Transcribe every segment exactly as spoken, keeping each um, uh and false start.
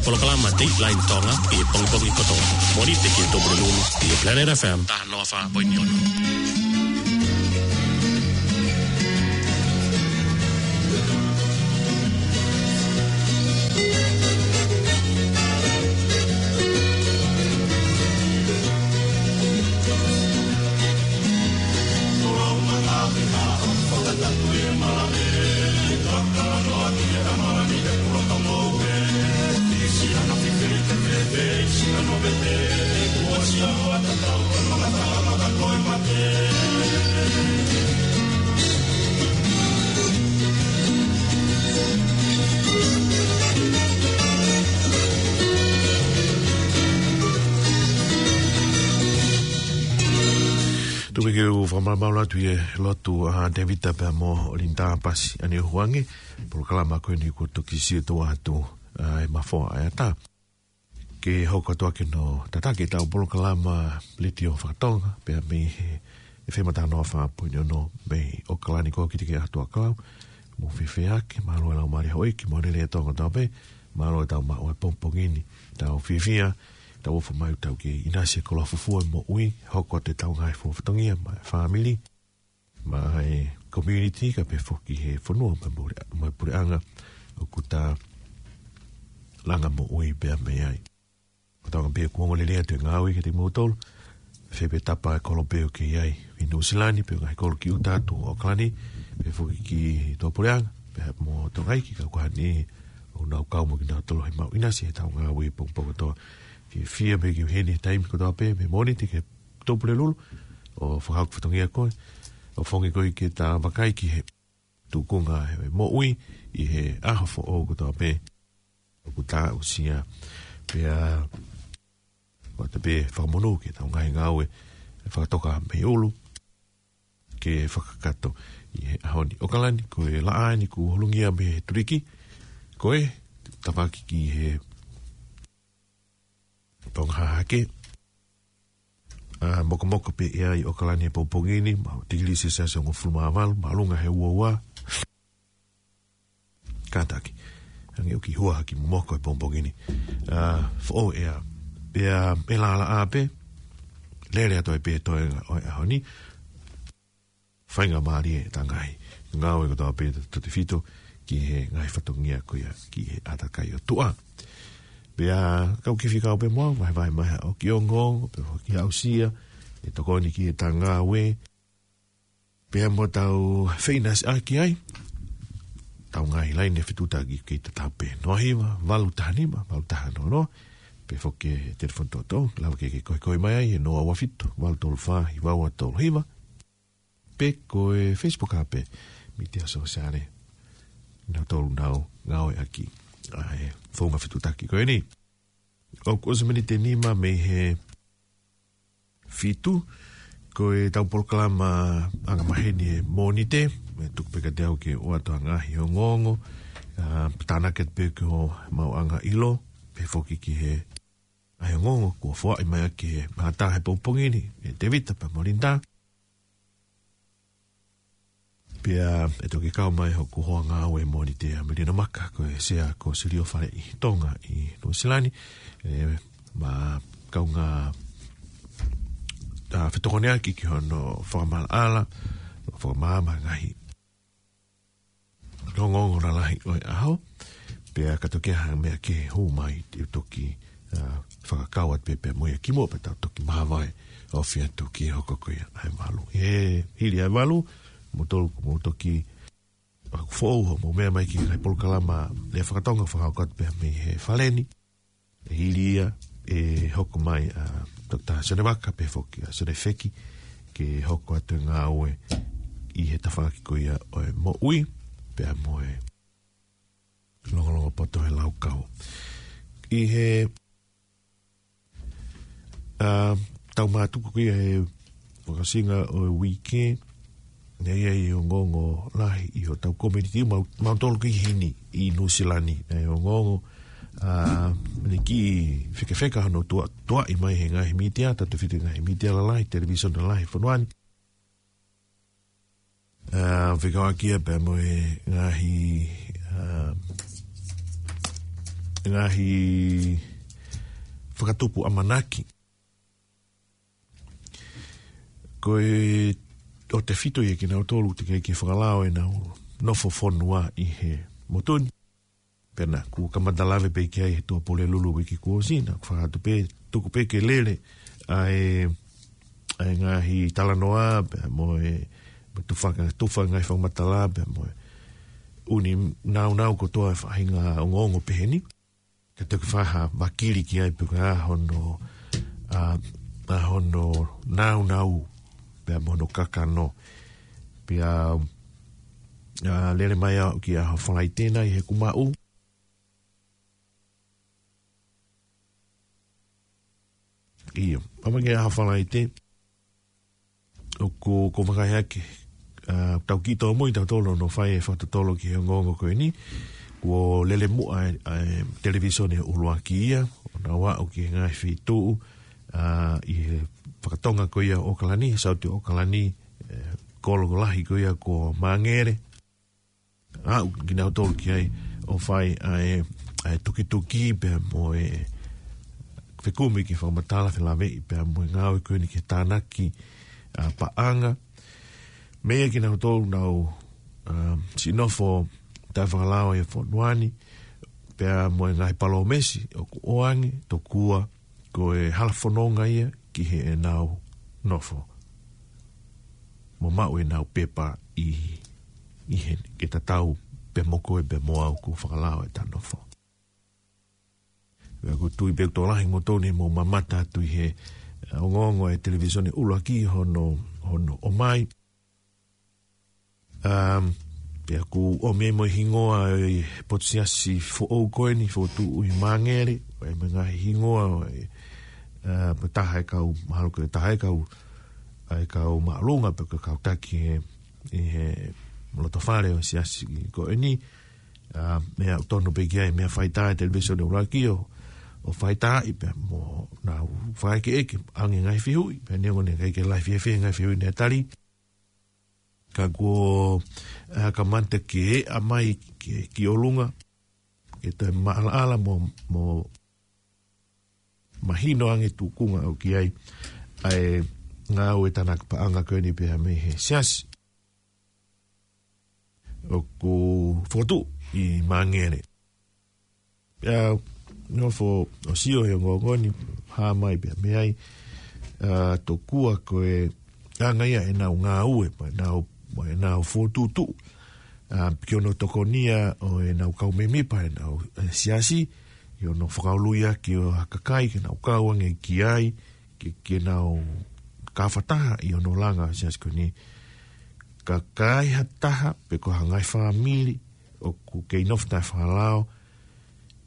Polokalama Dateline Tonga ʻi he pongipongi kotoa. Mōnite ki he Tupulelulu ʻi he Planet F M. Taha noa fā poini ono. Tuku ke u fakamalumalu atu ʻi he lotu ʻa Tēvita pea mo Linda Pasi ʻAneohuange, polokalama ko eni kuo toki siʻi tō atu, ʻa, ʻe Mafoa ʻa e ʻatā. Ke hoko atu ʻaki hono tataki ʻetau polokalama Letiō Fakatonga, pea mei he F M taha noa fā poini ono mei ʻOkalani, ko au Kitike ʻAtuʻakalau. Mou fiefia ake, mālō e laumālie houʻeiki, mou lelei atu kotoa pē, mālō ʻetau maʻu ʻa e pongipongi ni, tau fiefia, tau ʻofa mai ʻoku tau kei ʻinasi he koloa fufū ʻo e moʻui, hoko atu ʻetau ngaahi fatongia, maʻa e fāmili, maʻa e community, kae pehē foki he fonua, maʻa e pule-, maʻa e puleʻanga, ʻoku ta langa moʻui pea mei ai. Ko e taʻu pē kuo ongo lelei atu e ngāue kiate kimoutolu, fē pē tapa e kolo pē ʻoku ke ʻi ai, ʻi Nuʻusila ni, pe ko e ngaahi kolo ki ʻuta atu ʻo ʻOkalani, pehē foki ki tuʻapuleʻanga, pea mo Tonga ʻi he kau kuo hangē ʻoku nau kau mo kinautolu he maʻu ʻinasi heʻetau ngāue pongipongi kotoa. Fiefia pē ke u ʻi heni he taimi kotoa pē, mei Mōnite ki he Tupulelulu, ʻo fakahoko fatongia ko ē, ʻo feinga ko ē ke ta vakai ki he tuʻunga ʻo e moʻui ʻi he ʻaho foʻou kotoa pē ʻoku ta aʻusia. Pea ʻoatu pē fakamonū ki heʻetau ngaahi ngāue fakatoka mei ʻulu ke fakakakato ʻi he ʻaho ni. ʻOkalani, ko e laʻā eni kuo holungia mei he tuliki, ko e tafaʻaki ki he Tonga Hahake. ʻA, mokomoko pē ʻi ai ʻOkalani he pongipongi ni, maʻu tikilī selesiasi ʻe hongofulu mā valu, māʻolunga he uaua. Kātaki. Hangē ʻoku kei hua hake e momoko he pongipongi ni. ʻA, foʻou ʻea. Pea ʻe lālāʻā pē, lele atu ai pē toenga ʻo e ʻaho ni. Faingamālie ʻetau ngaahi ngāue kotoa pē tautautefito ki he ngaahi fatongia ko ia ki he ʻātakai ʻo tuʻa. Pea kau kiʻi fekau pē mo au, vahevahe mai haʻo kiʻi ongoongo, pea foki aʻusia e tokoni ki heʻetau ngāue. Pea mo tau feʻinasiʻaki ai ʻetau ngaahi laine fetuʻutaki kei tatau pē. Noa hiva, valu taha nima, valu taha noa noa. Pea foki e telefoni toutou, lava ke ke koekoe mai ai, he noa ua fitu, valu tolu fā, hiva ua tolu hiva. Pe ko e Facebook ʻa pē, mītia sōsiale. Nautolu nau ngāueʻaki ʻa e founga fetuʻutaki ko eni. ʻOku ʻosi miniti ʻe nima mei he fitu, ko ʻetau polokalama angamaheni he Mōnite, ʻe tuku pē kiate au ke ʻoatu ha ngaahi ongoongo, ʻa, tānaki atu pē ki hoʻomou angaʻilo, pehē foki ki he ʻa e ongoongo kuo foaʻi mai ʻaki he mātā he pongipongi ni, ʻe Tēvita pea mo Linda. Pea ʻe toki kau mai hoku hoa ngāue Mōnite ʻa Melina Maka, ko e sea ko Silio Faleʻi Tonga ʻi Nuʻusila ni, ʻe, mo e kaungā, ʻa, fetokoniʻaki ki hono fakamaʻalaʻala, fakamaama ngaahi ongoongo lalahi ʻo e ʻaho, pea ka toki ʻi ai ha meʻa ke hū mai, te u toki, ʻa, fakakau atu pē pea mo ia kimuʻa pea tau toki māvae ʻo fai atu ki he hoko ko ia ʻa e valu. He hili ʻa e valu, mou tolu, mou toki, ʻa, foʻou hoʻomou meʻa mai ki he ngaahi polokalama lea fakatonga fakahoko atu pē mei he fale ni. ʻE hili ia ʻe hoko mai ʻa Toketā Sione Vaka pehē foki ʻa Sione Feki ke hoko atu e ngāue ʻi he tafaʻaki ko ia ʻo e moʻui pea mo e longolongo poto he laukau. ʻI he, ʻa, tau mātuku ko ia he fakaʻosinga ʻo e uike, naʻe ʻi ai e ongoongo lahi ʻi hotau community, mau, mautolu ki heni ʻi Nuʻusila ni, ʻa e ongoongo, ʻa, naʻe kiʻi fekefeka hono tuʻa, tuʻaʻi mai he ngaahi mītia, tautautefito he ngaahi mītia lalahi, televisone lalahi, fonua ni. ʻA, fekauʻaki ia pea mo e ngaahi, ʻa, ngaahi fakatupu ʻamanaki. Ko e ʻo tefito ia kinautolu te ke ke fakalao ʻenau nofo fonua ʻi he motu ni. Pea naʻa ku kamata lave pē ki ai he Tuʻapulelulu uike kuo ʻosi, naʻa ku fakatu pē, tuku pē ke lele ʻa e, ʻa e ngaahi talanoa, pea mo e, mo tufa, tufa ngaahi fakamatala, pea mo e ʻū naunau kotoa e faʻahinga ongoongo peheni. Ka te ke faha vakili ki ai pe ko e hā hono, ʻa, ʻa hono naunau, pea mo hono kakano. Pea, ʻa, lele mai au ki he ʻaho Falaite nai he kumaʻu. ʻIo, pea mai ki he ʻaho Falaite. ʻOku, ko e vakai ake, ʻa, tau kiʻi tōmui tautolu ʻo fai e fakatotolo ki he ongoongo ko eni. Kuo lele muʻa e, e televīsone ʻuluaki ia, ʻo nau aʻu ki he ngaahi feituʻu, ʻa, ʻi he fakatonga ko ia ʻo ʻOkalani, he Saute ʻo ʻOkalani, e, kolo ko lahi ko ia ko Māngere. Aʻu kinautolu ki ai ʻo fai ʻa e, ʻa e tukituki pea mo e fekumi ki he fakamatala felāveʻi pea mo e ngāue ko eni ki he tānaki, ʻa, paʻanga. Meʻa kinautolu nau, ʻa, siʻi nofo taʻefakalao ʻi he fonua ni, pea mo e ngaahi palōmesi ʻoku ʻoange, tokua ko e hala fononga ia ki heʻenau nofo. Mo maʻu ʻenau pepa ʻi, ʻi heni, ke tatau pē mo koe pea mo au kuo fakalao ʻeta nofo. Pea ʻoku ou tui pē ʻoku tokolahi moutolu ne mou mamata atu ʻi he, ʻa, ongoongo e televīsone ʻuluaki hono, hono ʻomai. Um, pea ʻoku ʻomi mo e hingoa e potu siasi foʻou ko eni, fokotuʻu ʻi Māngere, ʻa e meʻa ngaahi hingoa, ʻa e, ʻa, pea taha e kau, mahalo ko e taha e kau, ʻa e kau māʻolunga, pea ko e kau taki he, ʻi he loto fale ʻo e siasi ko eni, ʻa, meʻa ʻoku tonu pē ki ai, meʻa faitā e televīsone ʻuluaki ʻo, ʻo faitaaʻi pea mo nau fakaʻekeʻeke, ʻoange ngaahi fehuʻi, pea neongo ʻene ʻikai ke lahi fiefia ngaahi fehuʻi naʻe tali. Ka kuo, ʻa, kamata ke ʻā mai ki, ki ʻolunga, ke toe maʻalaʻala mo, mo mahino ange tuʻunga ʻoku ʻi ai ʻa e ngāue tānaki paʻanga ko eni pea mei he siasi ʻoku fokotuʻu ʻi Māngere. Pea nofo ʻo sio he ongoongo ni, hā mai pea mei ai, ʻa, tokua ko e anga ia ʻenau ngāue, mo ʻenau, mo ʻenau fokotuʻutuʻu, ʻa, ki hono tokonia ʻo ʻenau kau mēmipa ʻenau, ʻe, siasi, ʻi hono fakaului ʻaki ʻo ha kakai ke nau kau ange ki ai, ke, ke nau kau fakataha ʻi hono langa ʻo e siasi ko eni. Ka ʻi ai ha taha, pe ko ha ngaahi fāmili, ʻoku kei nofo taʻefakalao,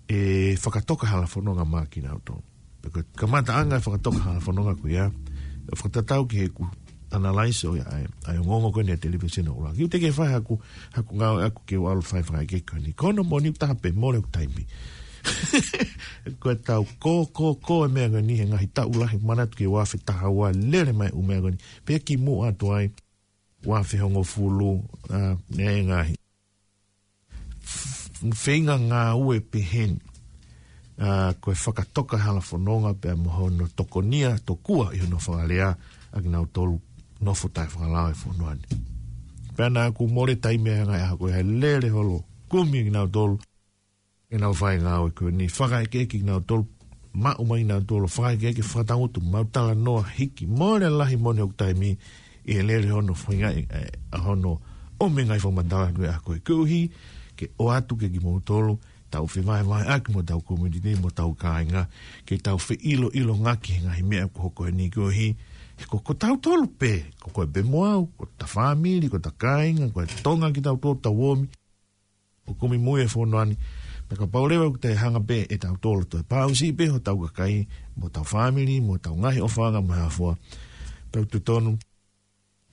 ʻe fakatoka hala fononga maʻa kinautolu. Pea ko e kamataʻanga e fakatoka hala fononga ko ia, ʻo fakatatau ki heʻeku analyze ʻo ia ʻa e, ʻa e ongoongo ko eni ʻa e televīsone ʻuluaki. ʻOku ou teʻeki fai haku, haku ngāue ʻaʻaku ke u ʻalu fai fakaʻekeʻeke ko eni. Ko hono moʻoni ʻoku taha pē mole ʻeku taimi. Ko e tau ko, ko, ko e meʻa ko eni he ngaahi taʻu lahi manatu ki he ua afe taha ua lele mai ʻū meʻa ko eni. Pea kimuʻa atu ai, ua afe hongofulu, ʻa, ʻe ngaahi feinga ngāue peheni. ʻA, ko e fakatoka hala fononga pea mo hono tokonia tokua ʻi hono fakalea ʻa kinautolu nofo taʻefakalao ʻi he fonua ni. Pea naʻa ku mole taimi ʻa e ngaahi ʻaho ko ia he lele holo kumi kinautolu ke nau fai ngāue ko eni, fakaʻekeʻeke kinautolu, maʻu mai kinautolu, fakaʻekeʻeke fakatangutu, mau talanoa hiki, mole lahi moʻoni ʻeku taimi ʻi he lele hono fainga, ʻe, ʻa hono ʻomi ngaahi fakamatala ko ia ko e koeʻuhi ke ʻoatu ke kimoutolu, tau fevahevaheʻaki mo tau community, mo tau kāinga, ke tau feʻiloʻilongaki he ngaahi meʻa ʻoku hoko eni koeʻuhi, he ko, ko tautolu pē, ko koe pē mo au, ko ta fāmili, ko ta kāinga, ko e Tonga kitautolu tau ōmi ʻo kumi mui he fonua ni. Pea kapau leva ʻoku te hanga pē ʻe tautolu ʻo toe pāusiʻi pē hotau kakai, mo tau fāmili, mo tau ngaahi ʻofaʻanga mo e hā fua, pea ʻoku totonu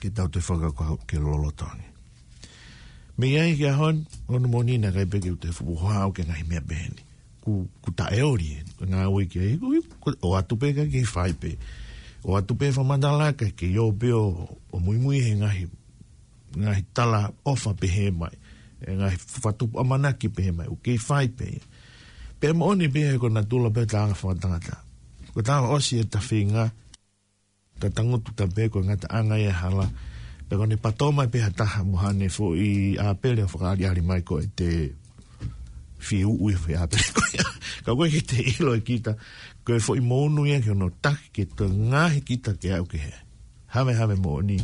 ke tau toe fakakaukau ke loloto ange. Mei ai ki he ʻaho ni, hono moʻoni naʻe ʻikai pē ke u toe fuʻu hohaʻa au ki he ngaahi meʻa peheni. Ku, ku taʻeoli ʻe, ngāue ki ai, ku, ku, ʻoatu pē ka ke fai pē. ʻOatu pē fakamatala ka ke ō pē ʻo, ʻo muimui he ngaahi, ngaahi talaʻofa pehē mai, ʻe ngaahi fakatupu ʻamanaki pehē mai, ʻoku kei fai pē. Pea moʻoni pē he ko e natula pē taʻanga fakatangata. Ko e taʻanga ʻosi e tafinga, ta tangutu ta pē ko e ngataʻanga ia hala. Pea ko ʻene patoma pē ha taha mo haʻane foʻi ʻāpele ʻo fakaʻaliʻali mai ko e te fiu ui foʻi ʻāpele ko ia. Ka ko e ke te ʻilo ʻe kita, ko e foʻi mounu ia ke ono taki ke toe ngaohi kita ke aʻu ki he havehave moʻoni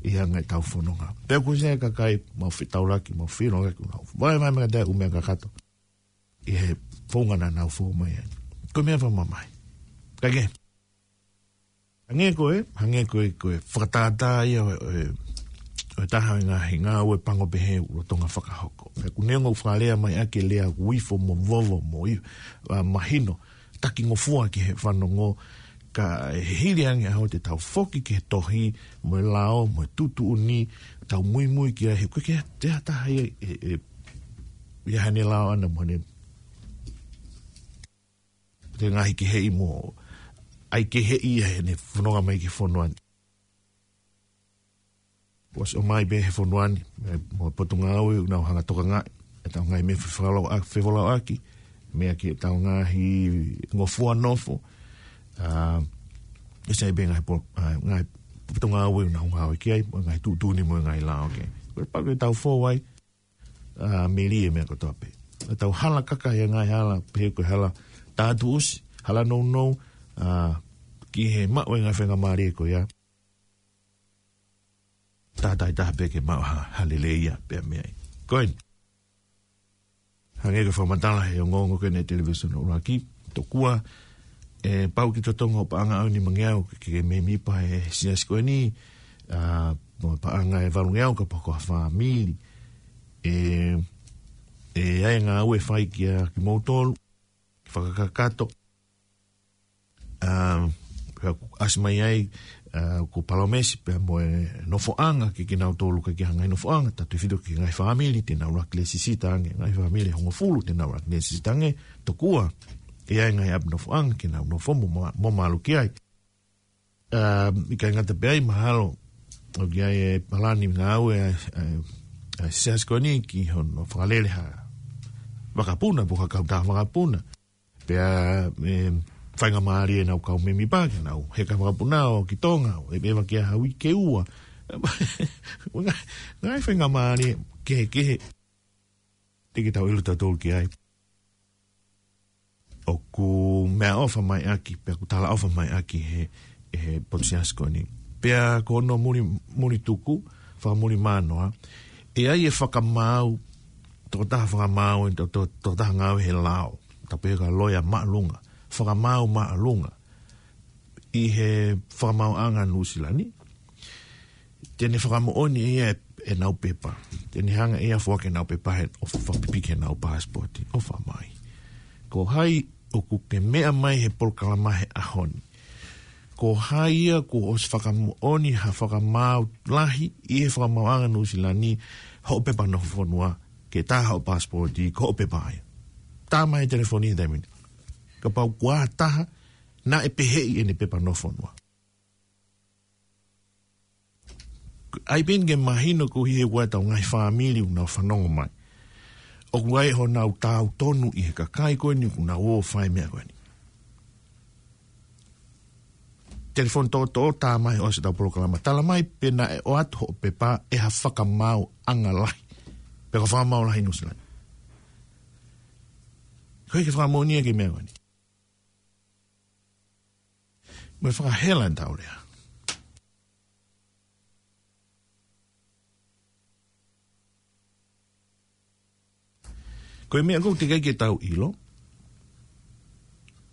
ʻi he anga ʻetau fononga. Pea ko e se kakai mau fetaulaki, mau fetaulaki, mau vai mai mea te u mea kakato ʻi he founga naʻa nau fou mai ai. Ko e meʻa fakamamahi. Ka ke, hangē ko e, hangē ko e, ko e fakatātā ia ʻo e, ʻo e, ʻo e taha ʻo e ngaahi ngāue pango pehē ʻoku lolotonga fakahoko. Pea ʻoku neongo ʻoku fakalea mai ʻaki e lea ʻoku ifo mo vovo mo i, ʻa, mahino, taki ngofua ki he fanongo, ka ʻi he hili ange ʻaho te tau foki ki he tohi, mo e lao, mo e tuʻutuʻuni, tau muimui ki ai he ko e ke te ha taha ia e, e, ia haʻane lao ʻana mo haʻane te ngaahi keheʻi mo ʻai keheʻi ia heʻene fononga mai ki he fonua ni. Kuo ʻosi ʻomai pē he fonua ni, e, mo e potungāue ʻoku nau hanga tokangaʻi ʻetau ngaahi meʻa fefolauʻaki, fefolauʻaki, meʻa ki heʻetau ngaahi ngofua nofo. ʻA, ʻe sai pē ngaahi po-, ʻa, ngaahi potungāue ʻoku nau ngāue ki ai, mo e ngaahi tuʻutuʻuni mo e ngaahi lao ki ai. Ko e pau ke tau fou ai, ʻa, melie meʻa kotoa pē. ʻEtau hala kaka ia ngaahi hala, pehē ko e hala tātuʻusi, hala nounou, ʻa, ki he maʻu e ngaahi faingamālie ko ia. Tātāitaha pē ke maʻu ha, ha lelei ia pea mei ai. Ko eni. Hangē ko e fakamatala he ongoongo ko eni e televīsone ʻuluaki, tokua, ʻe pau ke totongi hoʻo paʻanga ʻaho ni mangeau ke, ke mēmipa he siasi ko eni, ʻa, mo e paʻanga ʻe valungeau kapau ko ha fāmili. ʻE, ʻe ʻi ai e ngāue ʻe fai kia kimoutolu, fakakakato, ʻa, pea ʻoku ʻasi mai ai, ʻa, ko e palōmesi pea mo e nofoʻanga ke kinautolu ka ke hanga ʻi he nofoʻanga, tautefito ki he ngaahi fāmili te nau laki lēsisita ange, ngaahi fāmili ʻe hongofulu te nau laki lēsisita ange, tokua ʻe ʻi ai e ngaahi ʻapi nofoʻanga ke nau nofo mo ma-, mo malu ki ai. ʻA, ʻikai ngata pē ai mahalo ʻoku ʻi ai e palani ngāue ʻa, ʻa, ʻa e siasi ko eni ki hono fakalele ha vakapuna, pe ko ha kautaha vakapuna. Pea, ʻe, faingamālie ʻenau kau mēmipa ke nau heka vakapuna ʻo ki Tonga, ʻo ʻeveʻeva ki ai ha uike ʻe ua. Ngaahi, ngaahi faingamālie kehekehe te ke tau ʻilo tautolu ki ai. ʻOku meʻaʻofa mai ʻaki, pea ʻoku talaʻofa mai ʻaki he, he potu siasi ko eni. Pea ko hono muli, muli tuku, fakamuli mānoa, ʻe ʻi ai e fakamaau, tokotaha fakamaau, to, to, tokotaha ngāue he lao, ta pehē ko e loea māʻolunga, fakamaau māʻolunga, ʻi he fakamaauʻanga Nuʻusila ni, te ne fakamoʻoni ia ʻe, ʻenau pepa. Te ne hanga ia ʻo foaki ʻenau pepa he, ʻo fakapipiki ʻenau passport. ʻOfa mai. Ko hai ʻoku ke meʻa mai he polokalama he ʻaho ni? Ko hai ia kuo ʻosi fakamoʻoni ha fakamaau lahi ʻi he fakamaauʻanga Nuʻusila ni hoʻo pepa nofo fonua, ke tā hoʻo passport, ko hoʻo pepa ia? Tā mai he telefoni he taimi ni. Kapau ko ha taha naʻe peheʻi ʻene pepa nofo fonua. ʻAi pē ke mahino koeʻuhi he ʻoku ʻi ai ʻetau ngaahi fāmili ʻoku nau fanongo mai. ʻOku ʻi ai honau taau tonu ʻi he kakai ko eni ʻoku nau ō ʻo fai e meʻa ko eni. Telefoni toʻotoʻo tā mai ʻosi ʻetau polokalama. Tala mai pe naʻe ʻoatu hoʻo pepa ʻe ha fakamaauʻanga lahi. Pe ko e fakamaau lahi Nuʻusila ni. Ko e ke fakamoʻoni ia ki he meʻa ko eni. Mo e fakahela ʻetau lea. Ko e meʻa ʻoku teʻeki ai ke tau ʻilo,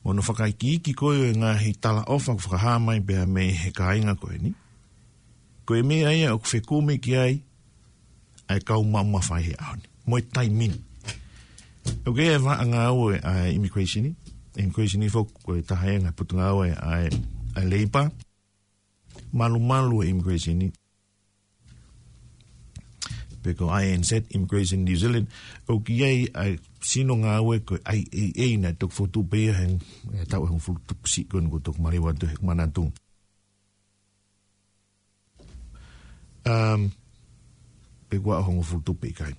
mo hono fakaikiiki ko ē ʻo e ngaahi talaʻofa ʻoku fakahā mai pea mei he kāinga ko eni. Ko e meʻa ia ʻoku fekumi ki ai ʻa e kau maʻu mafai he ʻaho ni. Mo e taimi ni. ʻOku ʻi ai e vaʻa ngāue ʻa e immigration ni. Immigration ni foki ko e taha ia e ngaahi potungāue ʻa e, ʻa e Labour. Malumalu e immigration ni. Pe ko I N Z, Immigration New Zealand. ʻOku ʻi ai ʻa e sino ngāue ko e I A A naʻe toki fotu pē ia he, he taʻu ʻe hongofulu tupu siʻi ko eni kuo toki maliu atu he manatu. Um, pe ko e hongofulu tupu pe ʻikai.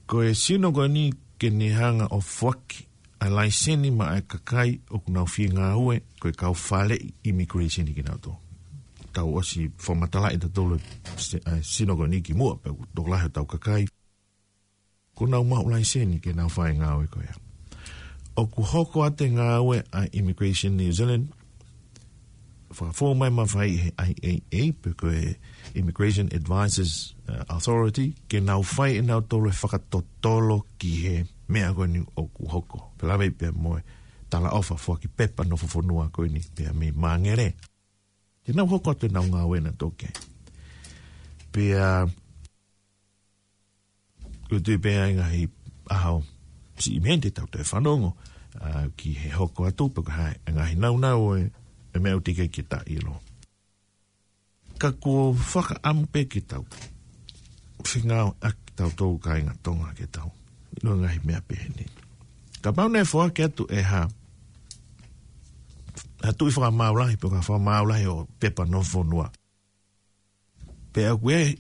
Ko e sino ko eni ke ne hanga ʻo foaki ʻa e laiseni maʻa e kakai ʻoku nau fie ngāue ko e kau faleʻi immigration kinautolu. Tau ʻosi fakamatalaʻi ʻe tautolu se-, ʻa e sino ko eni kimuʻa pea ʻoku tokolahi ʻo ʻetau kakai kuo nau maʻu laiseni ke nau fai e ngāue ko ia. ʻOku hoko atu e ngāue ʻa e Immigration New Zealand, fakafou mai mafai he I A A, pe ko e Immigration Advisors, uh, Authority, ke nau fai ʻe nautolu e fakatotolo ki he meʻa ko eni ʻoku hoko. Pea lave pea mo e talaʻofa foaki pepa nofo fonua ko eni pea mei Māngere. Ke nau hoko atu ʻenau ngāue ʻanautolu ki ai. Pea ʻoku ou tui pē ʻa e ngaahi ʻaho siʻi mei heni te tau toe fanongo, ʻa, ki he hoko atu pe ko e hā e ngaahi naunau ʻo e, e meʻa ʻoku teʻeki ke ta ʻilo. Ka kuo fakaʻamu pē ke tau fengāueʻaki tautolu kāinga Tonga ke tau ʻilo e ngaahi meʻa pehē ni. Kapau naʻe foaki atu ʻe ha, ha tuʻi fakamaau lahi, pe ko ha fakamaau lahi ʻo e pepa nofo fonua, pea ʻoku ʻi ai,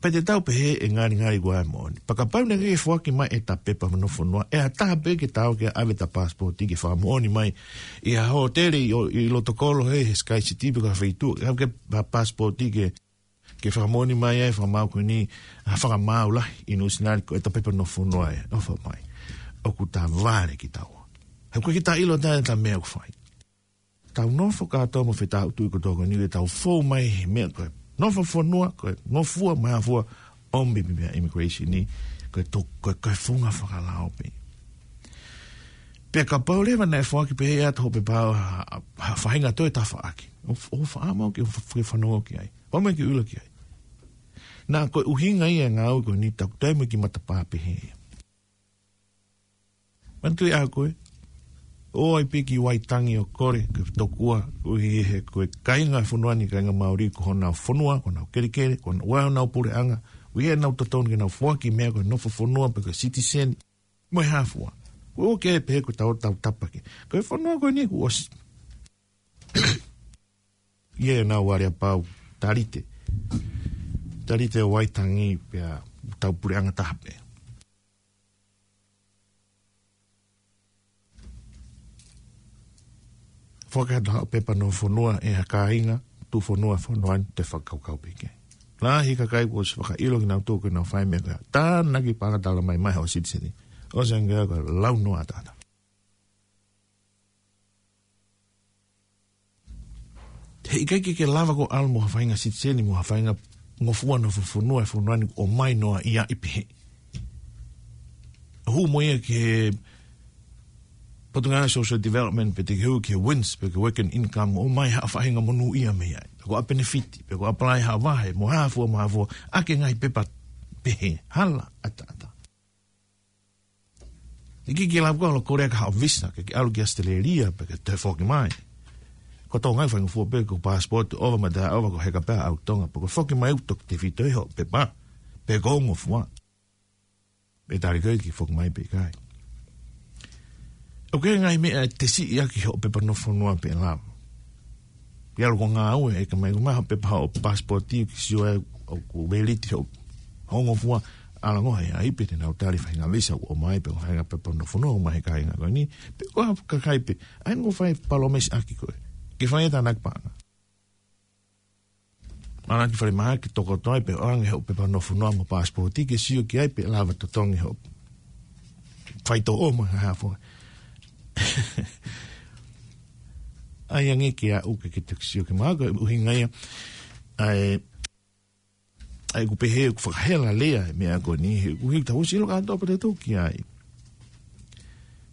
pea te tau pehē ʻe ngalingali ʻoku ʻi ai e moʻoni. Pea kapau naʻe ʻikai ke foaki mai ʻeta pepa nofo fonua, ʻe ʻi ai ha taha pē ke tau ke ʻave ʻeta passport ke fakamoʻoni mai ʻi ha hōtele ʻi, ʻi loto kolo he, he Sky City pe ko ha feituʻu, ʻave ke pa-, passport ke, ke fakamoʻoni mai ai, fakamaau ko eni, ha fakamaau lahi ʻi Nuʻusila ko ʻeta pepa nofo fonua ē, ʻofa mai. ʻOku tavale kitaua. He ʻoku ʻikai ke ta ʻilo ʻe taha ʻeta meʻa ʻoku fai. Tau nofo kātoa mo e fetautuʻi kotoa ko eni ke tau fou mai he meʻa ko e nofo fonua, ko e ngofua, mahafua, ʻomi pē meʻa immigration ni, ko e to-, ko e, ko e funga fakalao pē. Pea kapau leva naʻe foaki pē ʻe ʻata hoʻo pepa ha, ha, ha faʻahinga toe tafaʻaki. ʻO, ʻo faʻa mau ke, ʻo fa-, ke fanongo ki ai. ʻO mai ke ʻilo ki ai. Naʻa ko e ʻuhinga ia e ngāue ko eni tau toe mo e kiʻi matapā pehē ia. Manatuʻi ʻa koe, ʻoua ʻe piki Waitangi ʻo kole ke tokua, ʻuhi he ko e kāinga fonua ni, kāinga Māori, ko honau fonua, ko honau kelekele, ko honau, ʻoua honau puleʻanga, ʻuhi he nau totonu ke nau foaki meʻa ko e nofo fonua pe ko e citizen, mo e hā fua. Ko e ʻoku ke pehē ko e tau, tau tapa ke. Ko e fonua ko eni kuo ʻosi. Ia ʻenau aleapau, talite. Talite ʻo Waitangi pea tau puleʻanga taha pē. Foaki atu haʻo pepa nofo fonua ʻe ha kāinga, tuʻu fonua, fonua ni te fakakaukau pē ki ai. Lahi e kakai kuo ʻosi fakaʻilo kinautolu ke nau fai meʻa ko ia. Tānaki pala tala mai mai haʻo citizen. ʻOsi ange ko e lau noa tata. He ʻikai ke ke lava ʻo ʻalu mo ha faʻahinga citizen mo ha faʻahinga ngofua nofo fonua ʻi he fonua ni ʻo mai noa ia ʻi pehē. Hū mo ia ki he Potungāue Social Development pe te ke hū ki he WINZ pe ko e Work and Income ʻo mai ha faʻahinga monūʻia mei ai. Pe ko ha penefiti, pe ko e apply ha vahe, mo ha fua, mo ha fua, ʻaki e ngaahi pepa pehē, hala, ʻataʻatā. ʻIkai ke lava ʻo kole ʻaki haʻo visa, ke ke ʻalu ki Australia, pe ke toe foki mai. Ko Tonga ʻoku faingofua pē ko e passport, ʻova mo e taʻeʻova ko e heka pē ʻa e ʻau Tonga, pe ko e foki mai ʻoku tefito ʻi hoʻo pepa, pe ko e ngofua. Pea tali koe ke foki mai pe ʻikai. ʻOku ʻi ai e ngaahi meʻa ʻe tesiʻi ʻaki hoʻo pepa nofo fonua pe lava. Ke ʻalu ʻo ngāue ʻe ʻikai mai ʻo maʻu ha pepa hoʻo passport ke sio ai ʻoku valid hoʻo, hoʻo ngofua, ʻalu ʻo ngāue ai pea te nau tali faʻahinga visa ʻoku ʻomai pe ko e faʻahinga pepa nofo fonua ʻoku ʻomai he kāinga ko eni. Pe ko ha kakai pē, ʻai ʻo fai palōmesi ʻaki koe. Ke fai e tānaki paʻanga. Mana ki falemahaki toko toe pē ʻoange hoʻo pepa nofo fonua mo e passport ke sio ki ai pe lava totongi hoʻo faitoʻo mo e hā fua. ʻAi ange ke aʻu ke ke toki sio ki he mahaki, ʻuhinga ia. ʻAi, ʻai ʻoku pehē ʻoku fakahela lea e meʻa ko eni, he ʻoku ʻikai ke tau ʻosi ʻilo kātoa pē te tau ki ai.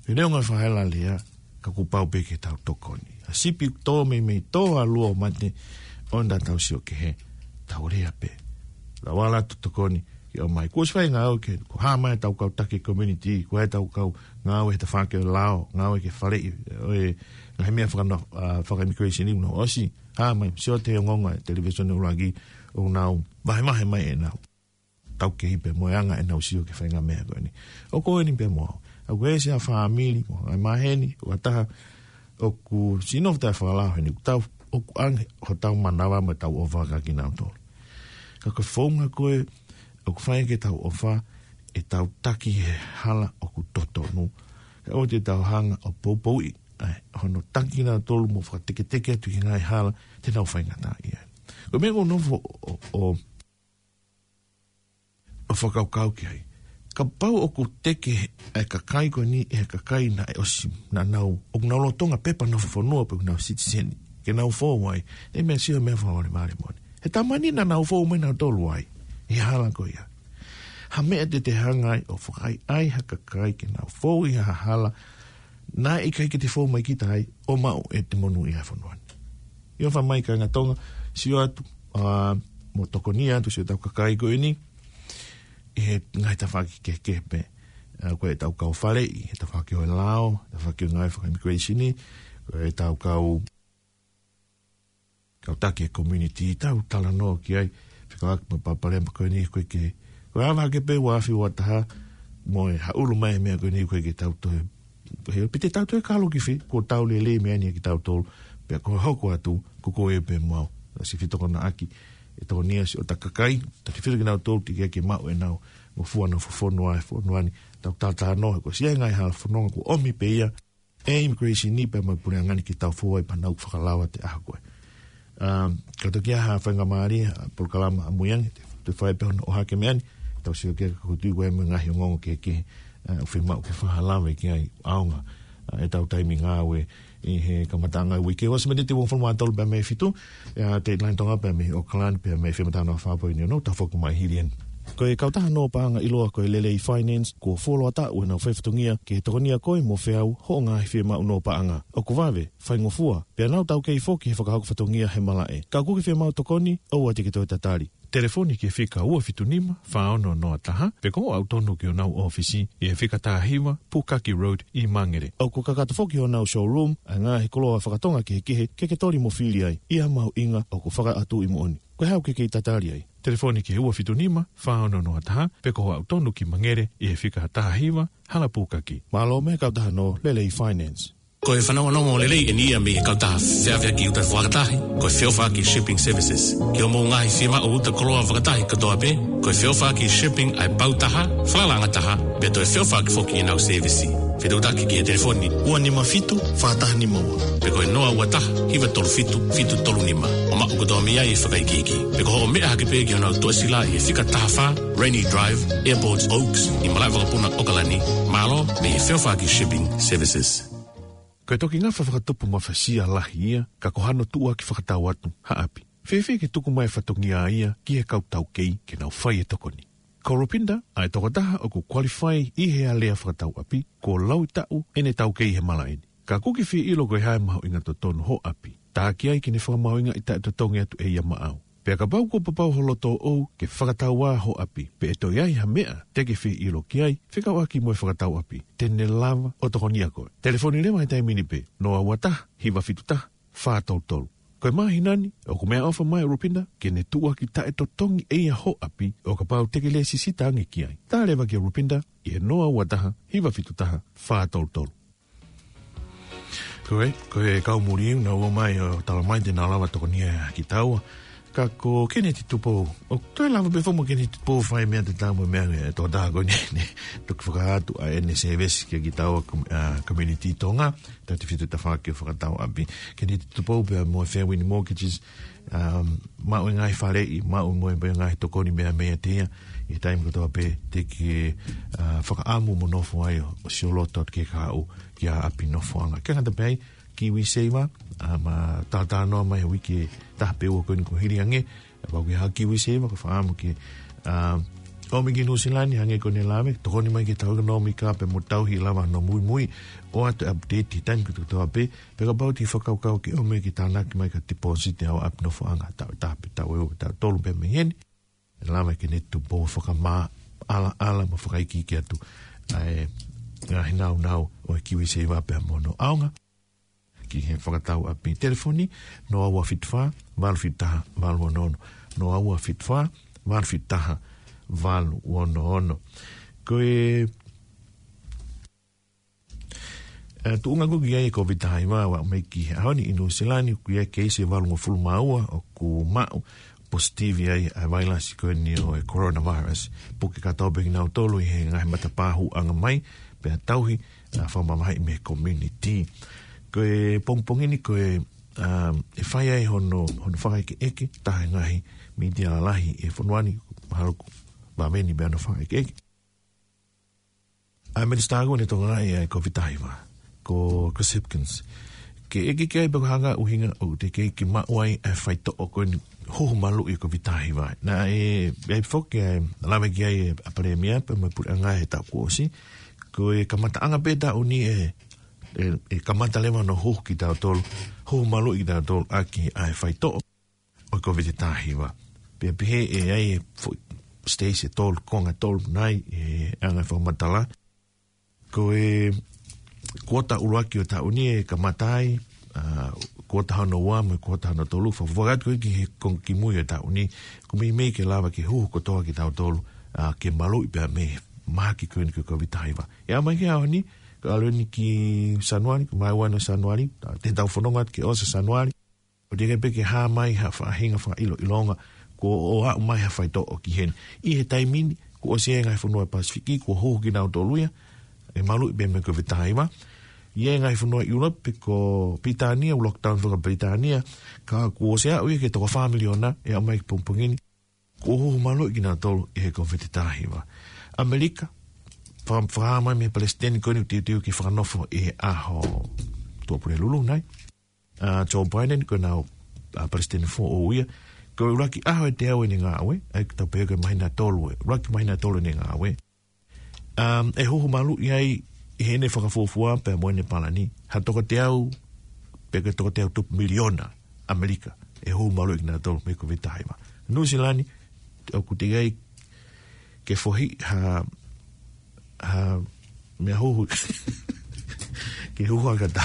He neongo e fakahela lea, ka kuo pau pē ke tau tokoni. ʻA e sipi ʻoku tō meimei tō ʻa e lua ʻo mate, ʻoua naʻa tau sio kehe, tau lea pē. Lava ʻa e tokoni ke ʻomai. Kuo ʻosi fai e ngāue ke, kuo hā mai ʻetau kau taki community, kuo ʻi ai ʻetau kau ngāue he tafaʻaki ʻo e lao, ngāue ke faleʻi, ʻo e ngaahi meʻa fakano-, ʻa, faka-immigration ʻi muʻa ʻosi. Hā mai, sio atu he ongoongo ʻa e televīsone ʻuluaki, ʻoku nau vahevahe mai ʻenau taukehe pea mo e anga ʻenau sio ki he faʻahinga meʻa ko eni. ʻOku ou ʻi heni pea mo au. ʻOku ʻi ai siʻa fāmili, mo e maheni, ʻoku ʻi ai ha taha ʻoku sino fata fakalao heni, ʻoku tau, ʻoku ʻange hotau manava mo ʻetau ʻofa kia kinautolu. Ka ko e founga ko ē ʻoku fai ke tau ʻofa, ʻetau taki he hala ʻoku totonu. Ka ʻoua te tau hanga ʻo poupouʻi ʻa hono taki kinautolu mo fakateketeke atu ki he ngaahi hala te nau faingataʻaʻia ai. Ko e meʻa ʻoku ou nofo ʻo, ʻo, ʻo fakakaukau ki ai. Kapau ʻoku teke ʻa e kakai ko eni ʻe he kakai naʻe ʻosi, naʻa nau, ʻoku nau lolotonga pepa nofo fonua pe ʻoku nau sitiseni, ke nau fou ai, ʻe meʻa sio meʻa fakavalevale moʻoni. He taimi ni naʻa nau fou mai nautolu ai ʻi he hala ko ia. Ha meʻa te te hanga ai ʻo fakaʻaiʻai ha kakai ke nau fou ʻi ha hala naʻe ʻikai ke te fou mai kita ai ʻo maʻu ʻete monūʻia he fonua ni. ʻIo, fai mai kāinga Tonga, sio atu, ā, mo tokoni atu siʻotau kakai ko eni ʻi he ngaahi tafaʻaki kehekehe pē. Ā, ko ʻetau kau faleʻi, he tafaʻaki ʻo e lao, tafaʻaki ʻo e ngaahi faka-immigration, ko ʻetau kau kau taki e community, tau talanoa ki ai, fekauʻaki mo e palopalema ko eni, ko e ke, ko e ava hake pē ua afe ua taha, mo e haʻulu mai e meʻa ko eni, ko e ke tau toe, he piti tau toe kalo ki fē, kuo tau lelei meʻa ni kitautolu, pea ko e hoko atu, ko koe pē mo au, ʻa si fitokonaʻaki, ʻe tokoni ʻa siʻotau kakai, ta te filo kinautolu, te ke ke maʻu ʻenau, mo fua nofo fonua, he fonua ni, tau talanoa, ko e siʻi ngaahi hala fononga, kuo ʻomi pē ia, e immigration ni pea mo e puleʻanga ni ke tau fou ai pea nau fakalava ʻi he ʻaho ko ē. Um, ka toki ʻi ai ha faingamālie, ʻa e polokalama ʻamui ange, te, te fai pē hono ʻohake meʻa ni, tau sio ki he kakutu ko e mo e ngaahi ongoongo kehekehe, ā, ʻoku fiemaʻu ke fakahalave ki ai ʻaonga, ā, ʻetau taimi ngāue ʻi he kamataʻanga e uike. ʻOsi miniti ua fulu mā tolu pea mei he fitu, ʻa e deadline Tonga pea mei Auckland, pea mei he Fema Tano Fāpoi ni ono, tau foki mai hili eni. Ko e kautaha nō paʻanga ʻiloa ko e Lelei Finance, kuo fuoloa taʻu ʻenau fai fatongia ke tokonia koe mo feau hoʻo ngaahi fiemaʻu nō paʻanga. ʻOku vave, faingofua, pea nau taukei foki he fakahoko fatongia he malaʻe. Ka ʻoku ke fiemaʻu tokoni, ʻoua te ke toe tatali. Telefoni ki he fika ua fitu nima, fā ono noa taha, pe ko hoʻo aʻu tonu ki honau ʻōfisi, ʻi he fika taha hiva, Pukaki Road, ʻi Mangere. ʻOku kakato foki honau showroom, ʻa e ngaahi koloa fakatonga kehekehe, ke ke toli mo fili ai, ʻi ha mahuʻinga ʻoku fakaʻatuʻi moʻoni. Ko e hā ʻoku ke kei tatali ai? Telefoni ki he ua fitu nima, fā ono noa taha, pe ko hoʻo aʻu tonu ki Mangere, ʻi he fika taha hiva, Hala Pukaki. Mālō mei he kautaha nō Lelei Finance. Ko e fanongonongo lelei eni ia mei he kautaha feʻaveʻaki uta fakatahi, ko e Feʻofaʻaki Shipping Services. Ki hoʻomou ngaahi fiemaʻu uta koloa fakatahi kotoa pē, ko e Feʻofaʻaki Shipping ʻa e pau taha, falalaʻanga taha, pea toe feʻofaʻaki foki ʻenau sēvisi. Fetuʻutaki ki he telefoni ua nima fitu, fā taha nima ua. Pe ko e noa ua taha, hiva tolu fitu, fitu tolu nima. ʻO maʻu kotoa mei ai e fakaikiiki. Pe ko hoʻo meʻa hake pē ki honau tuʻasila ʻi he fika taha fā, Rainy Drive, Airport Oaks, ʻi malaʻe vakapuna ʻAokalani, mālō mei he Feʻofaʻaki Shipping Services. Ko e toki ngafa fakatupu mafasia lahi ia, ka ko hano tuʻuaki fakatau atu, ha ʻapi. Fēfē ke tuku mai e fatongia ia, ki he kau taukei, ke nau fai e tokoni. Ko Rupinda, ʻa e tokotaha ʻoku qualify ʻi he alea fakatau ʻapi, kuo laui taʻu ʻene taukei he malaʻe ni. Ka ʻoku ke fie ʻilo ko e hā e mahuʻinga totonu hoʻo ʻapi. Tā ki ai ke ne fakamahuʻingaʻi taʻetotongi atu ʻe ia maʻau. Pea kapau kuo papau ho loto ʻoʻou ke fakatau ā hoʻo ʻapi, pe ʻe toe ʻi ai ha meʻa te ke fie ʻilo ki ai, fekauʻaki mo e fakatau ʻapi, te ne lava ʻo tokonia koe. Telefoni leva he taimi ni pē, noa ua taha, hiva fitu taha, fā tolu tolu. Ko e māhina ni, ʻoku meʻaʻofa mai ʻa Rupinda, ke ne tuʻuaki taʻetotongi ʻe ia hoʻo ʻapi, ʻo kapau te ke lēsisita ange ki ai. Tā leva kia Rupinda, ʻi he noa ua taha, hiva fitu taha, fā tolu tolu. Ko e, ko e kau muli, naʻa nau ō mai ʻo talamai te nau lava tokonia kitaua. Ka ko Keneti Tupou, ʻoku toe lava pē foki mo Keneti Tupou fai meʻa te tau mo meʻa e tokotaha ko eni, ne toki fakaatu ʻa ʻene sēvesi kia kitaua, ā, community Tonga, tautefito tafaʻaki ʻo fakatau ʻapi. Keneti Tupou pea mo e Fairwind Mortgages, um, maʻu e ngaahi faleʻi, maʻu mo e ngaahi tokoni meʻa meia te ia, ʻi he taimi kotoa pē te ke, ā, fakaʻamu mo nofo ai ʻo, ʻo sioloto atu ki he kahaʻu, ki ha ʻapi nofoʻanga. Ke ngata pē ai, KiwiSaver, ā, ma tātānoa mai he uike taha pe ua ko eni kuo hili ange, ʻa pau ki ha KiwiSaver, ko e fakaʻamu ke, ā, ʻomi ki Nuʻusila ni hangē ko ʻene lave, tokoni mai ki heʻetau ʻekonōmika pea mo tauhi lava hono muimui, ʻoatu e update he taimi kotoa pē, pea kapau te ke fakakaukau ke ʻomi ke tānaki mai ki ha deposit ʻi ha ʻapi nofoʻanga, taʻu ʻe taha pe taʻu ʻe ua, taʻu ʻe tolu pē mei heni. ʻE lava ʻe Keneti Tupou ʻo fakamaʻalaʻala mo fakaikiiki atu ʻa e ngaahi nāunau ʻo e KiwiSaver pea mo hono ʻaonga ki he fakatau ʻapi. Telefoni, noa ua fitu fā, valu fitu taha, valu ono ono. Noa ua fitu fā, valu fitu taha, valu ono ono. Ko e, ē, tuʻunga ko ē ki ai e Covid taha hiva, ʻo aʻu mai ki he ʻaho ni ʻi Nuʻusila ni, ko e keisi ʻe valungofulu mā ua ʻoku maʻu, positive ai ʻa e vailasi ko eni ʻo e coronavirus. Puke kātoa pē kinautolu ʻi he ngaahi matapā hūʻanga mai, pea tauhi ʻa e fakamamahiʻi mei he community. Ko e pongipongi ni ko e, um, ʻe fai ai hono, hono fakaʻekeʻeke, taha e ngaahi mītia lalahi ʻi he fonua ni, mahalo ʻoku vave ni pē hono fakaʻekeʻeke. ʻA e Minisitā ko eni ʻo e Tonga ʻi he COVID taha hiva, ko Chris Hipkins. Ke ʻeke ki ai pe ko e hā e ʻuhinga ʻoku teʻeki ke maʻu ai ʻa e faitoʻo ko eni huhu maluʻi ʻo e COVID taha hiva. Naʻe, ʻe foki ʻa e lave ki ai ʻa e Palēmia pea mo e Puleʻanga he taʻu kuo ʻosi. Ko e kamataʻanga pē taʻu ni ʻe, ʻe, ʻe kamata leva hono huhu kitautolu, huhu maluʻi kitautolu ʻaki ʻa e faitoʻo ʻo e COVID taha hiva. Pea pehē ʻe ʻi ai e foʻi stage ʻe tolu, konga ʻe tolu nai e anga e fakamatala. Ko e kuota ʻuluaki ʻo e taʻu ni ʻe kamata ai, ʻa, kuota hono ua mo e kuota hono tolu, fakafoki atu ko ē ki he konga kimui ʻo e taʻu ni, ʻoku meimei ke lava ke huhu kotoa kitautolu, ʻa, ke maluʻi pea mei he mahaki ko eni ko e COVID taha hiva. ʻE aʻu mai ki he ʻaho ni, ko e ʻalu eni ki Sānuali, ko e vahe ua ʻo Sānuali, ʻa, te tau fononga atu ke ʻosi ʻa Sānuali, ʻoku teʻeki pē ke hā mai ha faʻahinga fakaʻiloʻilonga kuo ʻosi aʻu mai ha faitoʻo ki heni. ʻI he taimi ni, kuo ʻosi ʻi ai e ngaahi fonua Pasifiki kuo huhu kinautolu ia, ʻe maluʻi pē mei he COVID taha hiva. ʻI he ngaahi fonua ʻIulope ko Pilitānia, ʻoku lockdown faka-Pilitānia, ka kuo ʻosi aʻu ia ki he toko fā miliona ʻe aʻu mai ki he pongipongi ni kuo huhu maluʻi kinautolu ʻi he COVID taha hiva. ʻAmelika, fa-, fakahā mai mei he Palesiteni ko eni ʻoku teuteu ke fakanofo ʻi he ʻaho Tuʻapulelulu nai, ʻa, Joe Biden, ko ʻenau, ʻa, Palesiteni foʻou ia. Ko e ʻuluaki ʻaho ʻe teau ʻene ngāue, ʻa ia ʻoku tau pehē ko e māhina ʻe tolu ē, ʻuluaki māhina ʻe tolu ʻene ngāue. Um, ʻe huhu maluʻi ai ʻi heʻene fakafuofua pea mo ʻene palani ha toko teau, pe ko e toko teau tupu miliona ʻAmelika ʻe huhu maluʻi kinautolu mei he COVID taha hiva. Nuʻusila ni, ʻoku teʻeki ai ke fohi ha, ha meʻa huhu. Ke huhu ʻa kata.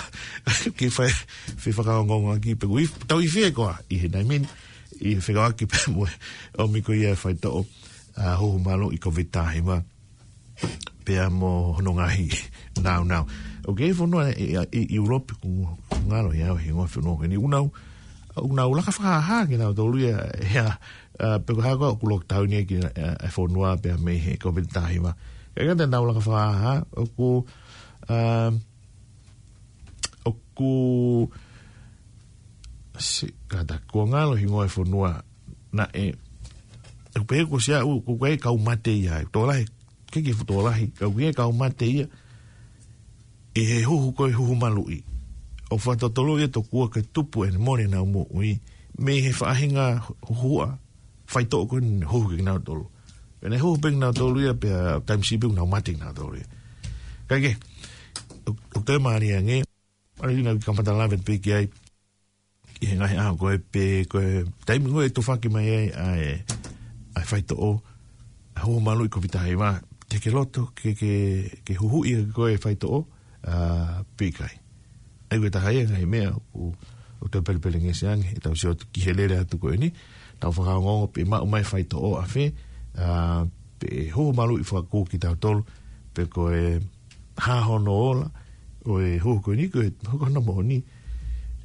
Ke fai, fai fakaongoongo ʻaki pe ʻoku ʻi, tau ʻi fē koā ʻi he taimi ni, ʻi he fekauʻaki pea mo e ʻomi ko ia e faitoʻo, ʻa, huhu maluʻi COVID taha hiva pea mo hono ngaahi nāunau. ʻOku ʻi ai e fonua ʻi, ʻi, ʻi ʻIulope ʻoku ngalo ia he ngaahi fonua ko eni ʻoku nau, ʻoku nau laka fakahāhā kinautolu ia, ʻa, ʻa, pe ko e hā koā ʻoku lockdown ia ki, ʻa, e fonua pea mei he COVID taha hiva. Ka ʻikai ke nau laka fakahāhā, ʻoku, ʻa, ʻoku, si-, kātaki, kuo ngalo hingoa e fonua naʻe, ʻoku pehē kuo ʻosi aʻu, ʻoku ʻi ai e kau mate ia, tokolahi, ke ke fuʻu tokolahi, ka ʻoku ʻi ai e kau mate ia, ʻi he huhu ko e huhu maluʻi. ʻOku fakatotolo ia tokua ke tupu ʻene mole ʻenau moʻui mei he faʻahinga huhuʻa faitoʻo ko eni huhu kinautolu. Pea ne huhu pē kinautolu ia, pea taimi siʻi pē ʻoku nau mate kinautolu ia. Kae kehe, ʻo, ʻoku toe mālie ange, ʻalu ina ki kamata lave pē ki ai, ʻi he ngaahi ʻaho ko ē pe ko e taimi ko ē ʻe tufaki mai ai ʻa e, ʻa e faitoʻo, ʻa e huhu maluʻi COVID taha hiva, te ke loto ke, ke, ke huhuʻi ʻaki koe e faitoʻo, ʻa, pe ʻikai. ʻA ia ko e taha ia e ngaahi meʻa ʻoku, ʻoku toe pelepelengesi ange, ʻetau sio atu ki he lele atu ko eni, tau fakaongoongo pe maʻu mai e faitoʻo ʻa fē, ʻa, pe huhu maluʻi fakakū kitautolu, pe ko e hā hono ola ʻo e huhu ko eni, ko e huhu hono moʻoni.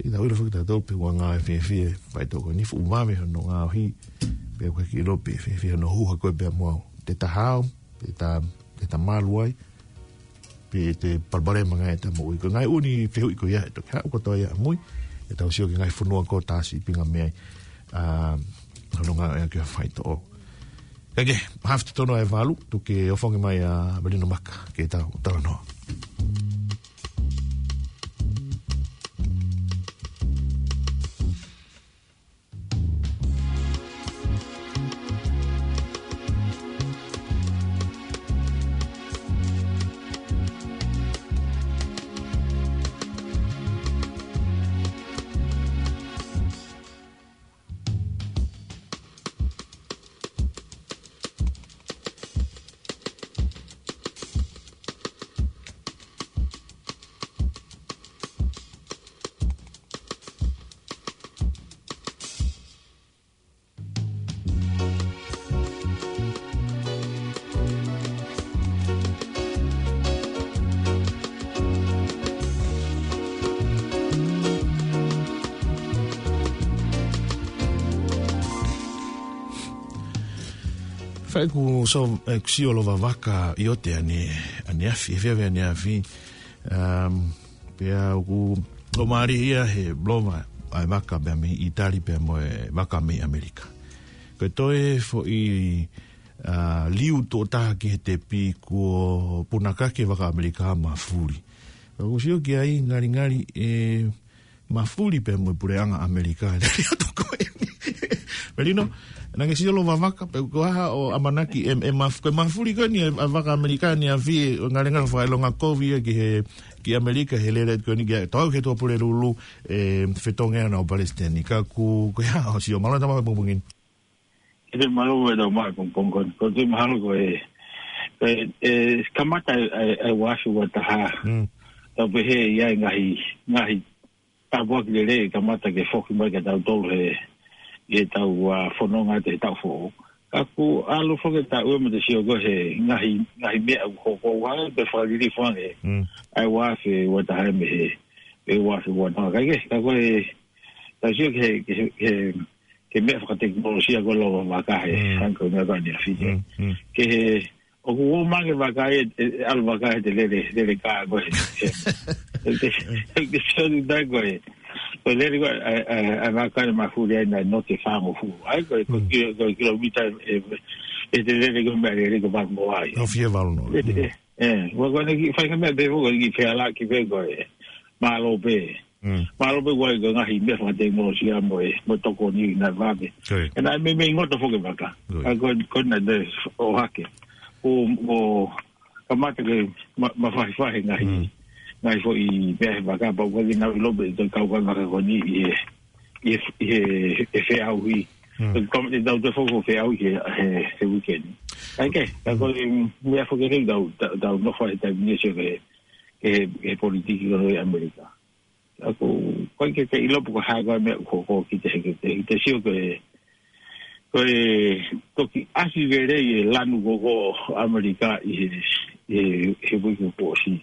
ʻE tau ʻilo foki tautolu pe ʻoku ngāue fiefia e faitoʻo ko eni, fuʻu vave hono ngaohi, pe ʻoku ʻikai ke ʻilo pe fiefia hono huhu ko ē pea mo au. Te ta hao, te ta, te ta malu ai, pe te palopalema ange ʻeta moʻui. Ko e ngaahi ʻū fehuʻi ko ia ʻe toki haʻu kotoa ia ʻamui, ʻetau sio ki he ngaahi fonua ko ē ʻoku ta sīpinga mei ai, ʻa, hono ngāueʻaki ʻo e faitoʻo. Kae kehe, haafe totonu ʻa e valu, tuku ke ʻofongi mai ʻa Melino Maka ke tau talanoa. ʻOku sio, ʻoku sio lova vaka ʻi ʻote ʻaneafi, ʻaneafi, ʻaneafi. Um, pea ʻoku ʻomai ia he lova ʻa e vaka pea mei ʻItali pea mo e vaka mei ʻAmelika. Ko e toe foʻi, uh, liu tuʻo taha ki he tepi kuo punakaki e vaka ʻAmelika mafuli. ʻOku sio ki ai ngalingali ʻe mafuli pea mo e puleʻanga ʻAmelika. Lele atu ko eni. Melino, naʻa ke sio lova vaka, pe ko e hā hoʻo ʻamanaki ʻe, ʻe maf-, ko e mafuli ko eni ʻa e vaka ʻAmelika ʻaneafi, ʻo ngalingali fakaʻilonga kovi ia ki he, ki ʻAmelika, he lele ko eni ki ai. Tau he Tuʻapulelulu, ʻe fetongi ana ʻo palesiteni. Ka ʻoku, ko e hā hoʻo sio, mālō e tama pongipongi ni. ʻE te mālō e tau mai pongipongi ko eni. Ko te mahalo ko e, ko e, ʻe kamata e, e, e uafi ua taha. Mm. Tau pehē ia e ngaahi, ngaahi tāpuaki lelei kamata ke foki mai kia tautolu he, ʻi he tau, uh, fononga ʻi he taʻu foʻou. Ka ʻoku ʻalu foki e taʻu ʻe mo te sio ko e he ngaahi, ngaahi meʻa ʻoku hoko ʻoku hanga pe fakalilifu ange. Mm. ʻA e uafi ua taha mei he, ʻe uafi ua taha. Ka ʻi he, ka ko e, tau sio ki he, ki he, ki he, ki he meʻa fakatekinolosia ko e lova vaka he, Mm. hangē ko e meʻa ko eni ʻaneafi. Mm, mm. Ki he, ʻoku ō mai e vaka ē, ʻe, ʻe ʻalu vaka ē he te lele, lele kā ko e. ʻE, ʻe, ʻe, ʻe, ʻe, ʻe, ʻe, ʻe, ko e lele ko e, ʻa e, ʻa e, ʻa e vaka ʻe mafuli ai naʻe note fāngofulu. ʻA ia ko e, ko e Mm. kilo, ko e kilomita ʻe, ʻe, ʻe te lele ko e meʻa lele ko e valu noa ai. ʻO fie valu noa. ʻE, Mm. ʻe, ʻE, ua ko eni ki, fai ka meʻa pē, ua ko eni ki fea la ki pē ko e. Mālō pē. Mm. Mālō pē ua ko e ngaahi meʻa fakatekinolosia mo e, mo e tokoni naʻe vave. Ko ia. ʻE naʻe meimei ngoto foki e vaka. Ko ia. ʻA ko, ko ena te o hake. ʻO, ʻo kamata ke ma, mafahifahi ngaahi, Mm. ngaahi foʻi meʻa he vaka, pau ko e nau ʻilo pē, te kau ka vaka ko eni ʻi he, ʻi he, ʻi he, he feʻauhi. Mm. Ko e, ko e, tau te foki feʻauhi he, he, he weekend. ʻA ia ke, ka ko e, mm, meʻa foki ke tau, tau, tau nofo he taimi ni sio ke, ke, ke politiki ko eni ʻi ʻAmelika. ʻA ko, ko e ke te ʻilo pe ko e hā ko e meʻa ko, ko ki te, ki te, ki te sio ke, ko e, toki ʻasi lelei e lanu ko, ko ʻAmelika ʻi he, he, he uike kuo ʻosi.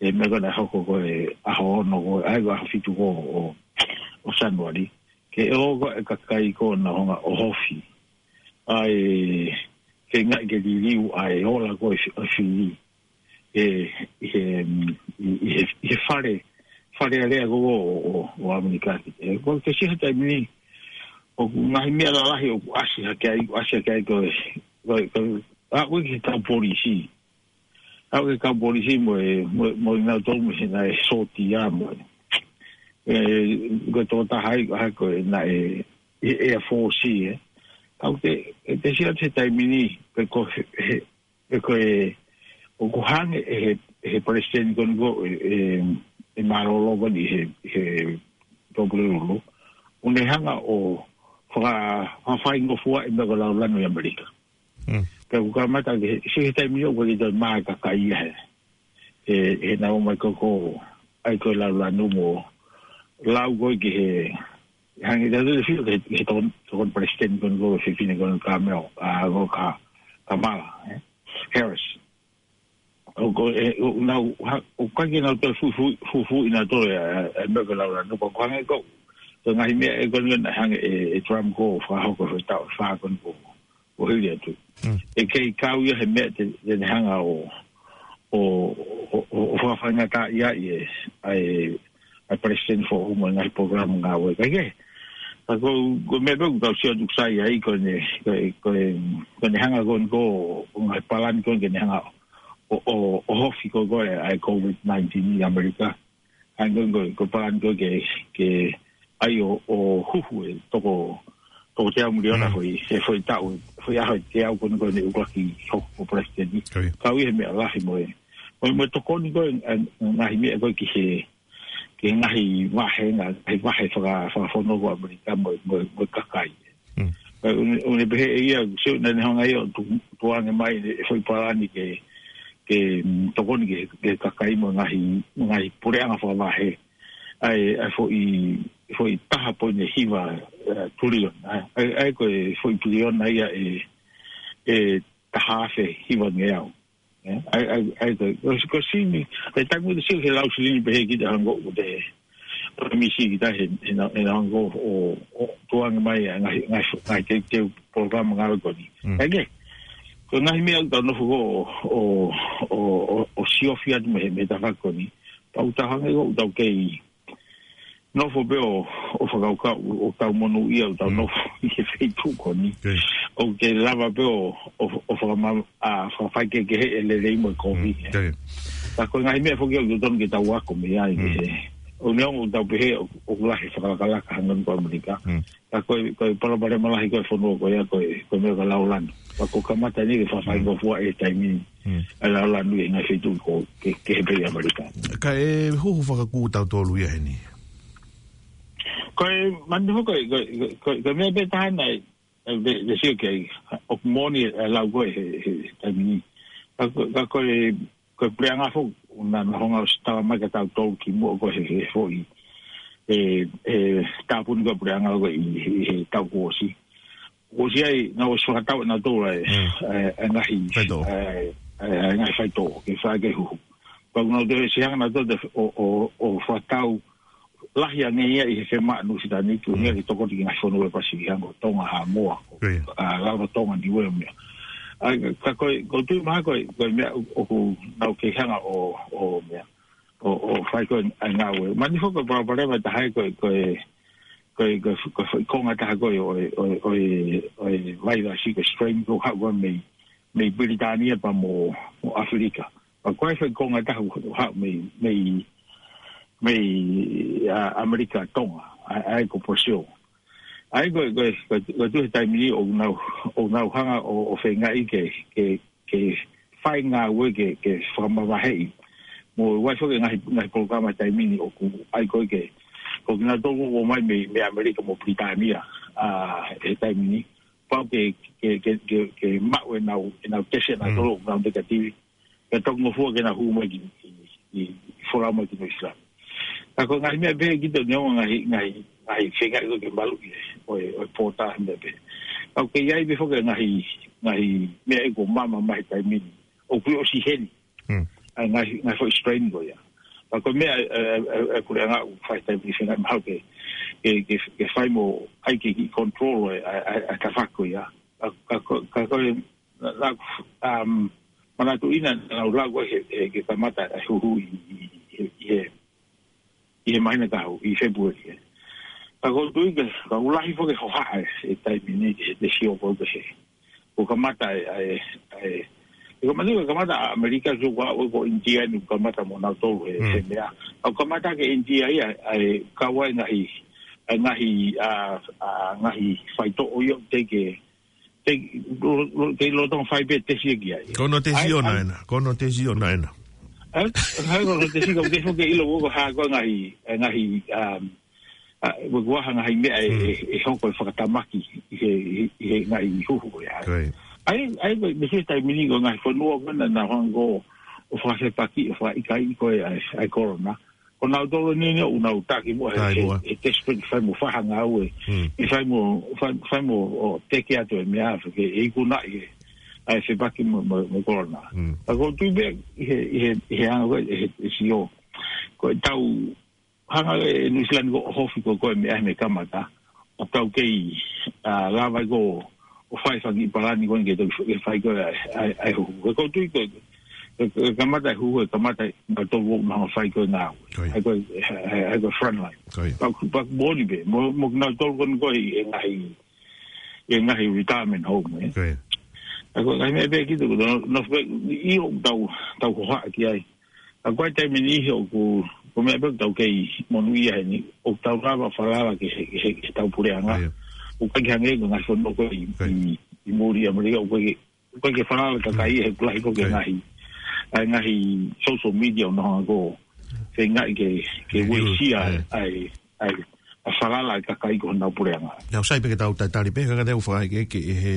ʻE meʻa ko ena hoko ko e ʻaho ono ko, ʻa ia ko e ʻaho fitu ko ʻo, ʻo Sānuali. Ke ʻoho ko e kakai ko ena hanga ʻo hofi. ʻA e, ke ngaʻi ke liliu ʻa e ola ko e fi-, ʻa e fili. ʻE, ʻi he, mm, ʻi, ʻi he, ʻi he fale, fale alea ko ʻo, ʻo, ʻo ʻAmelika. ʻE, ko te sio he taimi ni, ʻoku ngaahi meʻa lalahi ʻoku ʻasi hake ai, ʻoku ʻasi hake ai ko e, ko e, ko e, ʻa, ko e ki he kau polisi. ʻA ko e kau polisi mo e, mo e, mo e ngau tolu mo e naʻe sōtia mo e. ʻE, ko e tō taha ai, ʻa ko e naʻe, ʻi he Air Force ē. Ka ʻoku te, ʻe te sio he taimi ni, pe ko he, he, pe ko e, ʻoku hanga ʻe he, he palesiteni ko eni ko e, e, e mālōlō ko eni he, he Tuʻapulelulu. ʻOku ne hanga ʻo faka-, fakafaingofua e meʻa ko e laulanu ʻi ʻAmelika. Mm. Pea ʻoku kamata ke, sio he taimi ni ʻoku ʻikai ke toe maʻu e kakai ia he. He, he nau ō mai ko, ko, ʻai ko e laulanu mo lau ko e ki he, hangē tau te fio ki he, ki he tokon-, tokoni palesiteni ko eni ko e fefine ko eni Kamala, ʻa, ko Ka-, Kamala, ē? Harris. ʻOku, ʻe, ʻoku nau, ha, ʻoku ʻikai ke nau toe fuʻu, fuʻu, fuʻu, fuʻu ʻi nau toe, ʻa, ʻa, meʻa ko e laulanu, pea ʻoku hangē ko, ko e ngaahi meʻa ē ko eni naʻe hanga ʻe, ʻe Trump ko ʻo fakahoko he taʻu ʻe fā ko eni ko, ko hili atu. Mm. ʻE kei kau ia he meʻa te, te ne hanga ʻo, ʻo, ʻo, ʻo, ʻo fakafaingataʻaʻia ʻa e, ʻa e, ʻa e palesiteni foʻou mo e ngaahi polokalama ngāue. Ka ʻi he, ka ko, ko e meʻa pē ʻoku tau sio atu sai ai ko eni, ko e, ko e, ko eni hanga ko eni ko, ko e ngaahi palani ko eni ke ne hanga ʻo, ʻo, ʻo hofi ko, ko e, ʻa e COVID nineteen ʻi ʻAmelika. ʻA ia ko, ko, ko e palani ko e ke, ke ʻai ʻo, ʻo huhu e toko, toko teau miliona Mm. foʻi, he foʻi taʻu, foʻi ʻaho ʻe teau ko eni ko eni ʻoku ʻuluaki hoko ko palesiteni. Ko ia. Kau ia he meʻa lahi mo e. Mo e, mo e tokoni ko e, ʻa, ngaahi meʻa ko e ki he, ki he ngaahi vahe, ngaahi vahe faka-, fakafono ko ʻAmelika mo, mo, mo e kakai. Mm. ʻA ia, ʻoku ne, ʻoku ne pehē ʻe ia, sio naʻa ne hanga ia ʻo tu-, tukuange mai e foʻi palani ke, ke, mm, tokoni ki he, ki he kakai mo e ngaahi, ngaahi puleʻanga fakavahe. ʻA e, ʻa e foʻi, foʻi taha poini hiva, ē, tuliona. ʻA e, ʻa e, ʻa e ko e foʻi piliona ia ʻe, ʻe taha afe hiva ngeau. Ē, ʻa e, ʻa e, ʻa e, ko, ko, ko Sini, ʻa e taimi ko ē te sio he lau Sini pehē kita hangē ko e, ko e misi kita he, he na, he na hangē ko e, ʻo, ʻo, tukuange mai ʻa e ngaahi, ngaahi, ngaahi teuteu polokalama ngāue ko eni. Mm. ʻA ia ke, Ko e ngaahi meʻa ʻoku tau nofo ʻo, ʻo, ʻo, ʻo, ʻo siofi atu mei he, mei he tafaʻaki ko eni. Pea ʻoku tau hangē ʻoku tau kei nofo pē ʻo, ʻo fakakaukau, ʻoku tau monūʻia ʻoku tau nofo ʻi he feituʻu ko eni. ʻOku kei lava pē ʻo, ʻo, ʻo fakama-, ʻa, fakafaikehekeheʻi e lelei mo e kovi. Ka ko e ngaahi meʻa foki ʻoku totonu ke tau ako mei ai. ʻOku neongo ʻoku tau pehē ʻoku, ʻoku lahi e fakalakalaka hangē ko ʻAmelika. Ka ko e, ko e palopalema lahi ko e fonua ko ia ko e, ko e meʻa ko e laulanu. Ka ko e kamata ni ke fakafaingofua e taimi ni. ʻA e laulanu ʻi he ngaahi feituʻu ko ē, ke, ke he pē ʻi ʻAmelika. Ka e huhu fakakū tautolu ia heni. Ko e, mani foki, ko e, ko e, ko e, ko e meʻa pē taha naʻe, ʻe, ʻe, ʻe sio ki ai, ʻoku moʻoni e lau ko ē he, he, he taimi ni. Ka ko, ka ko e, ko e puleʻanga foki, naʻa, naʻa nau hanga ʻo ʻosi talamai kia tautolu kimuʻa ko ē he, he foʻi, e, e, tāpuni ko ē puleʻanga ko ē ʻi, ʻi he taʻu kuo ʻosi. Kuo ʻosi ai, naʻa nau ʻosi fakatau ʻe nautolu e, e, e ngaahi, e, e, e ngaahi faitoʻo, ke fai ke huhu. Pea ʻoku nau toe ʻosi hanga nautolu ʻo, ʻo, ʻo fakatau lahi ange ia ʻi he fema Nuʻusila ni, ʻoku ngali tokoni ki he ngaahi fonua ʻo e Pasifiki hangē ko Tonga, Haʻamoa, ko, ʻa, Rarotonga, Niuē mo e meʻa. ʻA, ka ko e, ʻoku ou tui mahalo ko e, ko e meʻa ʻoku nau kei hanga ʻo, ʻo meʻa, ʻo, ʻo fai ko ē ʻa e ngāue. Mani foki ko e palopalema ʻe taha ia ko e, ko e, ko e, ko e, ko e foʻi konga ʻe taha ko ē ʻo e, ʻo e, ʻo e, ʻo e vailasi ko e strain ko ē ʻoku haʻu ko ē mei, mei Pilitānia pea mo, mo ʻAfilika. Pea ko e foʻi konga ʻe taha ʻoku haʻu mei, mei, mei, ʻa, ʻAmelika Tonga, ʻa, ʻa ia ko Brazil. ʻA ia ko, ko, ko, ko e tuʻu he taimi ni ʻoku nau, ʻoku nau hanga ʻo, ʻo feingaʻi ke, ke, ke fai ngāue ke, ke fakamavaheʻi. Mo e ʻai foki e ngaahi, ngaahi polokalama he taimi ni ʻoku ʻai ko ē ke, ko kinautolu ʻoku ō mai mei, mei ʻAmelika mo Pilitānia, ʻa, he taimi ni. Pau ke, ke, ke, ke, ke maʻu ʻenau, ʻenau tesi ʻanautolu ʻoku nau negative. Ke toki ngofua ke nau hū mai ki, ki, ki, ki folau mai ki Nuʻusila. Ka ko e ngaahi meʻa pē ʻe kiʻi tau neongo ngaahi, ngaahi, ngaahi feingaʻi ko ē ke maluʻi ʻo e, ʻo e pōta he meʻa pē. Ka ʻoku kei ʻi ai pē foki e ngaahi, ngaahi meʻa ʻoku maama mai he taimi ni. ʻOku ʻosi heni. ʻA e ngaahi, ngaahi foʻi strain ko ia. Ka ko e meʻa, e, e, e, e puleʻanga ʻoku fai he taimi ni feingaʻi mahalo ke, ke, ke, ke fai mo ʻai ke kiʻi control e, e, e, e tafaʻaki ko ia. Ka, ka, ka, ka ko e, la, la, um, manatuʻi naʻa nau lau ko ē he, he, ke kamata e huhu ʻi, ʻi, ʻi, ʻi he, ʻi he māhina ka hau, ʻi Fēpueli, ē. Ka ʻoku ou tui ko e, ka ʻoku lahi foki e hohaʻa e, e taimi ni, he, he sio ko ē he. Kuo kamata e, e, e, e kamata, kuo kamata ʻa ʻAmelika, sio ko ē ko ʻInitia ni kuo kamata mo nautolu he, he meʻa. Ka kuo kamata ke ʻInitia ia, e, kau ai ngaahi, e ngaahi, ʻa, ʻa, ngaahi faitoʻo ia ʻoku teʻeki ke, ke, lo, lo, ke lolotonga fai pē tesi ki ai. Ko hono tesi ʻoʻona ena, ko hono tesi ʻoʻona ena. ʻAi, ʻai, ko hono tesi ka ʻoku teʻeki ke ʻilo ko e hā ko e ngaahi, e ngaahi, um, ʻa, ʻoku ʻi ai ha ngaahi meʻa ʻe, ʻe, ʻe hoko e fakatamaki ʻi he, ʻi he, ʻi he ngaahi huhu ko ia. ʻAi, ʻai, ko e, mei he taimi ni ko e ngaahi fonua ko ē naʻa nau hanga ʻo fakafepaki, ʻo fakaʻikaiʻi ko ē ʻa e, ʻa e corona. Ko nautolu ni ʻoku nau taki muʻa he, he, he desperate fai mo fai ha ngāue. ʻE fai mo, fai, fai mo ʻo teke atu e meʻa, ke ʻe ikunaʻi e, ʻa e fepaki mo, mo, mo corona. Ka ʻoku ou tui pē ʻi he, ʻi he, ʻi he anga ko ē, ʻi he, ʻi he sio. Ko e tau hanga e Nuʻusila ni ʻo ʻohofi ko ē ko e meʻa mei he kamata. ʻOku tau kei, ʻa, lava ai ko ē ʻo fai fanga kiʻi palani ko ē ke tau, ke fai ko ē ʻa e, ʻa e, ʻa e huhu. Ko e ʻoku ou tui ko e, ko e, ko e kamata e huhu, ʻe kamata ʻe nautolu ʻoku nau hanga ʻo fai ko ē ngāue. ʻA ia ko e, ʻa ia, ʻa ia ko e front line. Pea, pea moʻoni pē, mo, mo kinautolu ko ē ko ē ʻi he ngaahi, ʻi he ngaahi retirement home, ē. ʻA ia ko e ngaahi meʻa pē kiʻi tau, nofo pē, ʻio ʻoku tau, tau hohaʻa ki ai. Ka ko e taimi ni he ʻoku, ko e meʻa pē ʻoku tau kei monūʻia heni, ʻoku tau lava falala ki he, ki he, ki he tau puleʻanga. ʻOku ʻikai ke hangē ko e ngaahi fonua ko ē ʻi, ʻi, ʻi muli ʻAmelika, ʻoku ʻikai ke, ʻoku ʻikai ke falala e kakai he ʻoku lahi ko ē ngaahi, ʻa e ngaahi social media ʻoku nau hanga ʻo feingaʻi ke, ke uesia ʻa e, ʻa e, ʻa e falala e kakai ki honau puleʻanga. Naʻa ku sai pē ke tau tatali pē, ka ka te u fakaʻeke ke ʻi he,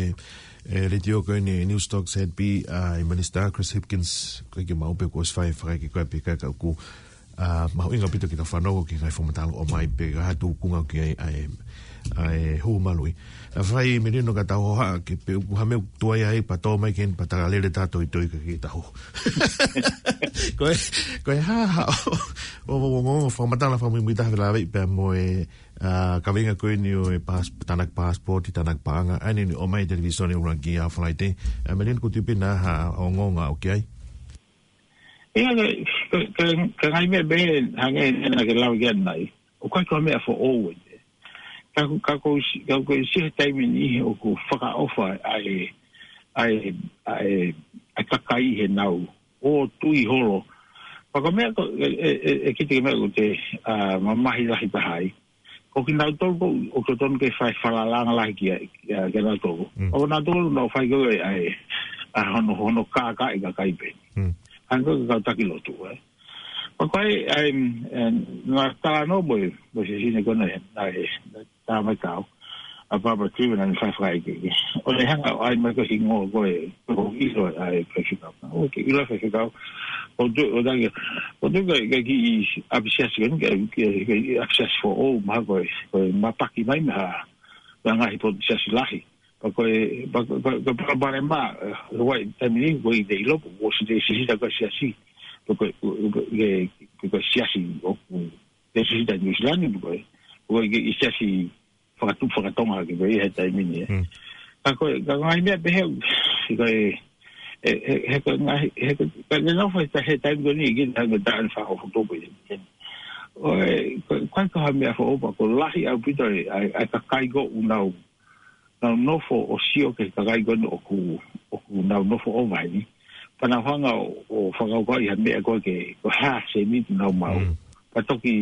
e, letiō ko eni Newstalk Z B, ʻa e Minisitā Chris Hipkins, ko e ke mau pē kuo ʻosi fai fakaʻeke ko ē pē ka ka ʻoku, ʻA, mahuʻinga ʻaupito ke tau fanongo ki he ngaahi fakamatala ʻoku ʻomai pea ko e hā e tūkunga ki ai ʻa e, ʻa e hū maluʻi. ʻA, fai Melino ka tau hohaʻa ki he, pe ʻoku ʻi ai ha meʻa ʻoku tuai ai pea tau mai ki heni pea tau lele taha toitoi kae ke tau. Ko e, ko e hā, hā, ʻo, ʻo, ʻo, ʻo, ʻo fakamatala fakamuimuitaha fēfē pea mo e, ʻa, kaveinga ko eni ʻo e pas-, tānaki passport, tānaki paʻanga, ʻa eni ʻoku ʻomai he televīsone ʻuluaki ʻa Falaite. ʻA, Melino, ʻoku tui pē ʻe hā ha ongoongo ʻoku ʻi ai? ʻIa, ka, ka, ka, ka ngaahi meʻa pehē, hangē ko ena naʻa ke lau ki ai ʻanenai. ʻOku ʻikai ko ha meʻa foʻou eni. Ka, ka ko si-, ka ko si he taimi ni ʻoku fakaʻofa ʻa e, ʻa e, ʻa e, ʻa e kakai heʻenau ō tui holo. Pea ko e meʻa ko, ʻe, ʻe, ʻe, ʻe kite ki he meʻa ʻoku te, ʻa, mamahi lahi taha ai. Ko kinautolu ko, ʻoku totonu ke fai falalaʻanga lahi ki ai, ki ai, kia nautolu. Mm. ʻO nautolu naʻa nau fai ko e ʻai, ʻa hono, hono kākaaʻi kakai pē. Mm. Hangē ko e kau taki lotu, ē. Pea ko e, ʻai, ʻe, naʻa tau talanoa mo e, mo e siasí ko ena, naʻe, naʻe tā mai kau. ʻA Barbara Trevena naʻa ne fai fakaʻekeʻeke. ʻO ne hanga ʻo ʻai mai ko e hingoa ko e, ko e ʻilo ʻa e faifekau. ʻOku ke ʻilo faifekau. ʻO tu, ʻo tangi, ʻo tu ka, ka kiʻi ʻapisiasi ko eni, ka, ka, ka ʻapisiasi foʻou, mahalo ko e, ko e mapaki mai mei ha, mei ha ngaahi potu siasi lahi. Pea ko e, pea ko e, ko e, ko e palopalema, ʻe, ʻi he taimi ni, ʻoku ʻikai te u ʻilo, ʻoku ʻosi te sisita ko e siasi. Pea ko e, ko e, ko e, ko e, ko e siasi, ʻoku te sisita New Zealand, pea ko e, ko e, ko e siasi fakatupu fakatonga ke pehē he taimi ni, ē. Mm. Ka ko e, ka ngaahi meʻa pehē, ko e, ʻe, ʻe, he ko e ngaahi, he ko e, ka ne nofo he ta-, he taimi ko eni, ki he taimi ko e taʻu ʻe fā afe tupu ʻi he. ʻO e, ko e, ko e, ko e ha meʻa foʻou pea ʻoku lahi ʻaupito e, ʻa e, ʻa e kakai ko ē ʻoku nau, nau nofo ʻo sio ki he kakai ko eni ʻoku, ʻoku nau nofo ʻova heni. Pea nau hanga ʻo, ʻo fakakaukauʻi ha meʻa ko ē ke, ko e hā e sēniti ʻoku nau maʻu. Mm. Pea toki,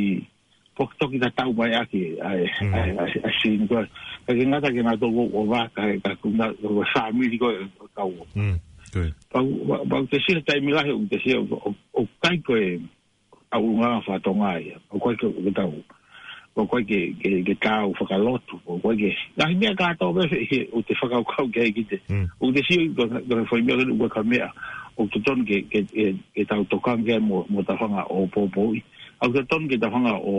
pea toki tatau mai ʻaki, ʻa e, Mm. ʻa e, ʻa e, ʻa e sini ko ē. Ka ke ngata ke nau tō ʻo vaka, ka ko e ngaahi, ko e fāmili ko ē ʻoku kau. Mm, ko e. Pea, pea, pea te sio he taimi lahi, ʻoku te sio, ʻo, ʻo, ʻoku ʻikai ko e, ʻa e ʻulungaanga fakatonga ia. ʻOku ʻikai ko e, ko e tau. ʻOku ʻikai ke, ke, ke tau fakalotu. ʻOku ʻikai ke, ngaahi meʻa kātoa pē he, he, ʻoku te fakakaukau ki ai ki te. Mm. ʻOku te sio ko, ko e foʻi meʻa ko ē ʻoku ʻikai ko ha meʻa. ʻOku totonu ke, ke, ke, ke tau tokanga mo, mo ʻetau fanga ʻopoʻopo. ʻOku totonu ke tau hanga ʻo,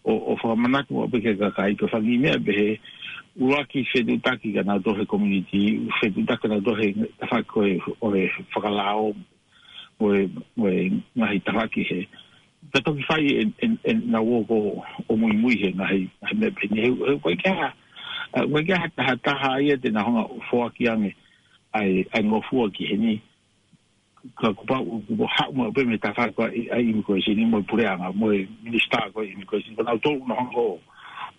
ʻo, ʻo fakamanatu maʻu pē ki he kakai, ko e fanga meʻa pehē, ʻuluaki fetuʻutaki kia nautolu he community, fetuʻutaki kia nautolu he tafaʻaki ko ē ʻo e fakalao, mo e, mo e ngaahi tafaʻaki he. Ka toki fai ʻe, ʻe, ʻenau ō ko ē ʻo muimui he ngaahi, ngaahi meʻa pehē ni, he, he, ʻoku ʻikai ke ʻi ai ha, ʻoku ʻikai ke ʻi ai ha taha, ha taha ia te nau hanga ʻo foaki ange ʻa e, ʻa e ngofua ki heni. Ka kuo pau, kuo haʻu maʻu pē mei he tafaʻaki ko ē ʻa e immigration, mo e puleʻanga, mo e minisitā ko ē immigration. Ko nautolu naʻa nau hanga ʻo,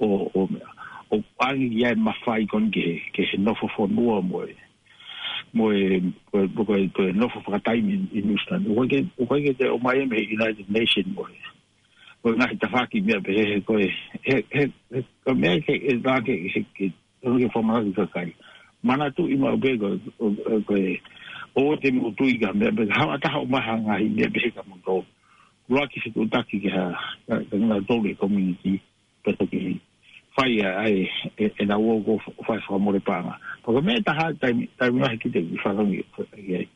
ʻo, ʻo, ʻo ʻange ki ai e mafai ko eni ki he, ki he nofo fonua mo e, mo e, ko e, ko e, ko e nofo fakataimi ʻi, ʻi New Zealand. ʻOku ʻikai ke, ʻoku ʻikai ke toe ʻomai ia mei he United Nations mo e, mo e ngaahi tafaʻaki meʻa pehē he ko e, he, he, he, ko e meʻa ke, ʻe, ke, ke, ke, ke, ke fakamanatu ki he kakai. Manatuʻi maʻu pē ko, ko, ko, ko e, ʻoua te mou tui ki ha meʻa pehē, haʻu ha taha ʻo ʻomai ha ngaahi meʻa pehē kia moutolu. ʻUluaki fetuʻutaki ki ha, kia, kia nautolu e community, pea toki fai ʻa e, ʻe, ʻenau ō ko ē ʻo fai fakamole paʻanga. Pea ko e meʻa ʻe taha, taimi, taimi lahi ki te ki fanongo ki ai.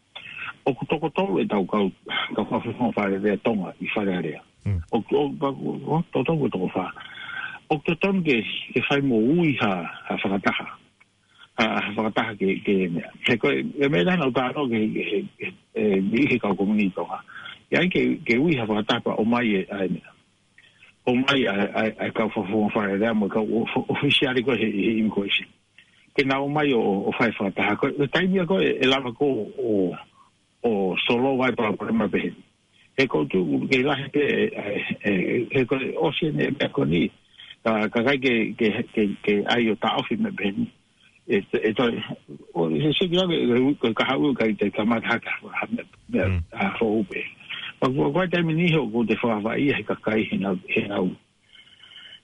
ʻOku toko tolu ʻetau kau, kau fakafofonga Fale Alea Tonga ʻi Fale Alea. Mm. ʻOku, ʻo, pea, ʻo, toko tolu ko e toko fā. ʻOku totonu ke, ke fai mo ui ha, ha fakataha. Ha, ha fakataha ke, ke meʻa. He ko e, e meʻa naʻa nau talanoa ki he, he, he, he, he kau komuniti Tonga. ʻE ʻai ke, ke ui ha fakataha pea ʻomai e, ʻa e meʻa. ʻOmai ʻa e, ʻa e, ʻa e kau fakafofonga Fale Alea mo e kau ʻo, ʻo, ʻofisiale ko ē he, he immigration. Ke nau ō mai ʻo, ʻo, ʻo fai fakataha. Ko e, ko e taimi ia ko ē, ʻe lava ko ē ʻo, ʻo solova e palopalema pehē ni. He ko e tuʻu ke lahi pē, ʻe, ʻe, ʻe, he ko e ʻosi eni e meʻa ko eni. Ka, ka ʻikai ke, ke, ke, ke ʻai ʻo taʻofi meʻa pehē ni. ʻE, ʻe, ʻe toe, ʻo, he siki lave, ʻe, ʻe, ko e kahaʻu ʻikai te kamata hake ha, ha, meʻa, meʻa, Mm. ʻa, foʻou pē. Pea ko e, ko e taimi ni he ʻoku te fakavaʻe ia he kakai heʻenau, heʻenau,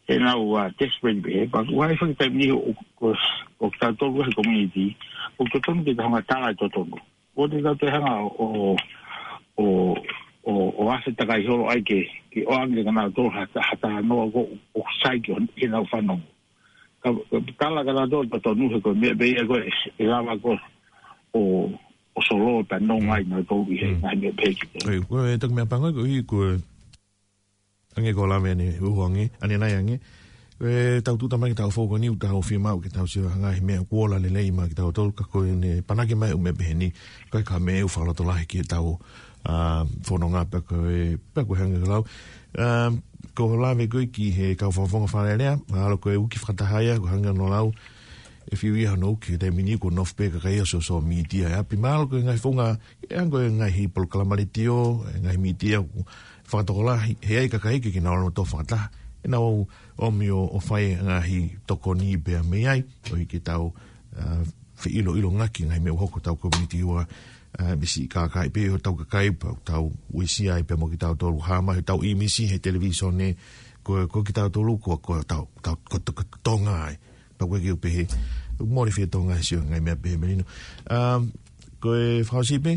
heʻenau, ʻa, desperate pē. Pea ko e, ko e taimi ni he ʻoku, ʻoku, ʻoku tau tolu he community, ʻoku totonu ke tau hanga ʻo tala e totonu. ʻOua te tau toe hanga ʻo, ʻo, ʻo, ʻo, ʻo ʻasi takai holo ai ke, ke ʻoange kia nautolu ha, ha talanoa ko ē ʻoku sai ke, ke nau fanongo. Ka, ka tala kia nautolu e totonu he ko e meʻa pē ia ko ē, ʻe lava ko ē ʻo, ʻo solova pea nonga ai nautolu ʻi he, Mm. ngaahi meʻa pehē ki te. ʻOi, ko e toki meʻa pango ko ē, ko e Ange ko e lave ʻaneuhu ange, ʻanenai ange. ʻE tau tuʻuta mai ke tau fou ko eni ʻoku tau fiemaʻu ke tau sio ha ngaahi meʻa kuo ola lelei maʻa kitautolu ka ko ʻene panaki mai ʻū meʻa pehē ni. Ko e ka meʻa ʻoku fakalotolahi ke tau, ʻa, fononga pea ko e, pea ko e hangē ko e lau. ʻA, ko e lave ko ē ki he kau fakafofonga Fale Alea, mahalo ko e uki fakataha ia, ko e hangē ko hono lau. ʻE fiu ia hono uki he taimi ni kuo nofo pē kakai ʻo sōsō mītia ʻi ʻapi mahalo ko e ngaahi founga, ʻe hangē ko e ngaahi polokalama letiō, ʻe ngaahi mītia ʻoku fakatokolahi, he ʻai kakai ke ke nau ʻalu ʻo tō fakataha. ʻE nau ʻomi ʻo, ʻo fai ngaahi tokoni pea mei ai, ʻo hiki tau, ʻa, feʻiloʻilongaki ngaahi meʻa ʻoku hoko tau komuniti ua, ʻa, misi kakai pē ʻo tau kakai pea tau uesia ai pea mo kitautolu hā mai, tau ʻīmisi he televīsone, ko, ko kitautolu, ko, ko tau, tau, ko, ko, ko Tonga ai. Pea ko e kiʻi pehē, mole fie Tonga he sio ngaahi meʻa pehē Melino. Um, ko e fakaʻosi pē,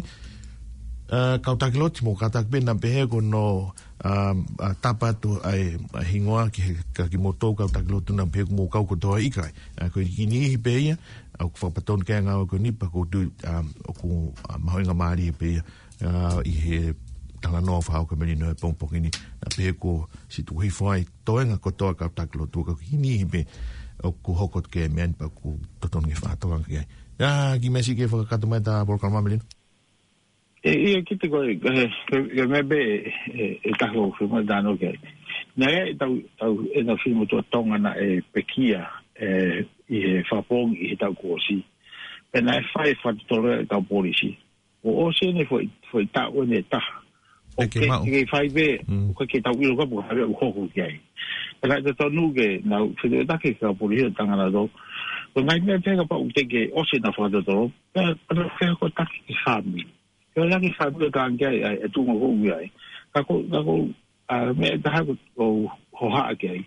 uh, kau taki lotu mo kātaki pē naʻa pehē ko hono, um, uh, tapa atu ai, ʻa e hingoa ki he, ka kimoutolu kau taki lotu naʻa pehē ko mo kau kotoa ʻikai. Uh, ko e kiʻi niʻihi pē ia, ʻoku fakapatonu ke ngāue ko eni pea ʻoku ou tui, um, ʻoku, uh, mahuʻinga mālie pē ia, uh, ʻi he talanoa fao ka Melino he pongipongi ni, naʻa pehē ko si tuku hifo ai, toenga kotoa kau taki lotu ka ko e kiʻi niʻihi pē ʻoku hoko ki he meʻa ni pea ʻoku totonu ke fakatokanga ki ai. ʻA, kiʻi meʻa siʻi ke fakakakato mai ʻeta polokalama Melino. ʻE, ʻio kiʻi ko e, e, e, e meʻa pē, e, e taha ʻoku fiemaʻu tano ki ai. Naʻe ʻi ai ʻetau, tau, ʻenau fili motuʻa Tonga naʻe pekia, e, ʻi he fakapoongi ʻi he taʻu kuo ʻosi. Pea naʻe fai fakatotolo ʻe he kau polisi. ʻO ʻosi ʻene foʻi, foʻi taʻu ʻe taha. ʻOku ʻikai ke maʻu. Ke fai pē, Mm. ʻoku ʻikai ke tau ʻilo ka pe ko e hā ʻoku hoko ki ai. Pea naʻe totonu ke nau fetuʻutaki ki he kau polisi ʻo tangata tō. Ko e ngaahi meʻa pē kapau ʻoku teʻeki ke ʻosi ʻenau fakatotolo. Pea, pea nau fetuʻutaki ki he fāmili. Ke ʻoange ki he fāmili ʻo tangata ki ai, ʻa e tuʻunga ʻoku ui ai. Ka ko, ka ko, ʻa, meʻa ʻe taha ʻoku ou hohaʻa ki ai.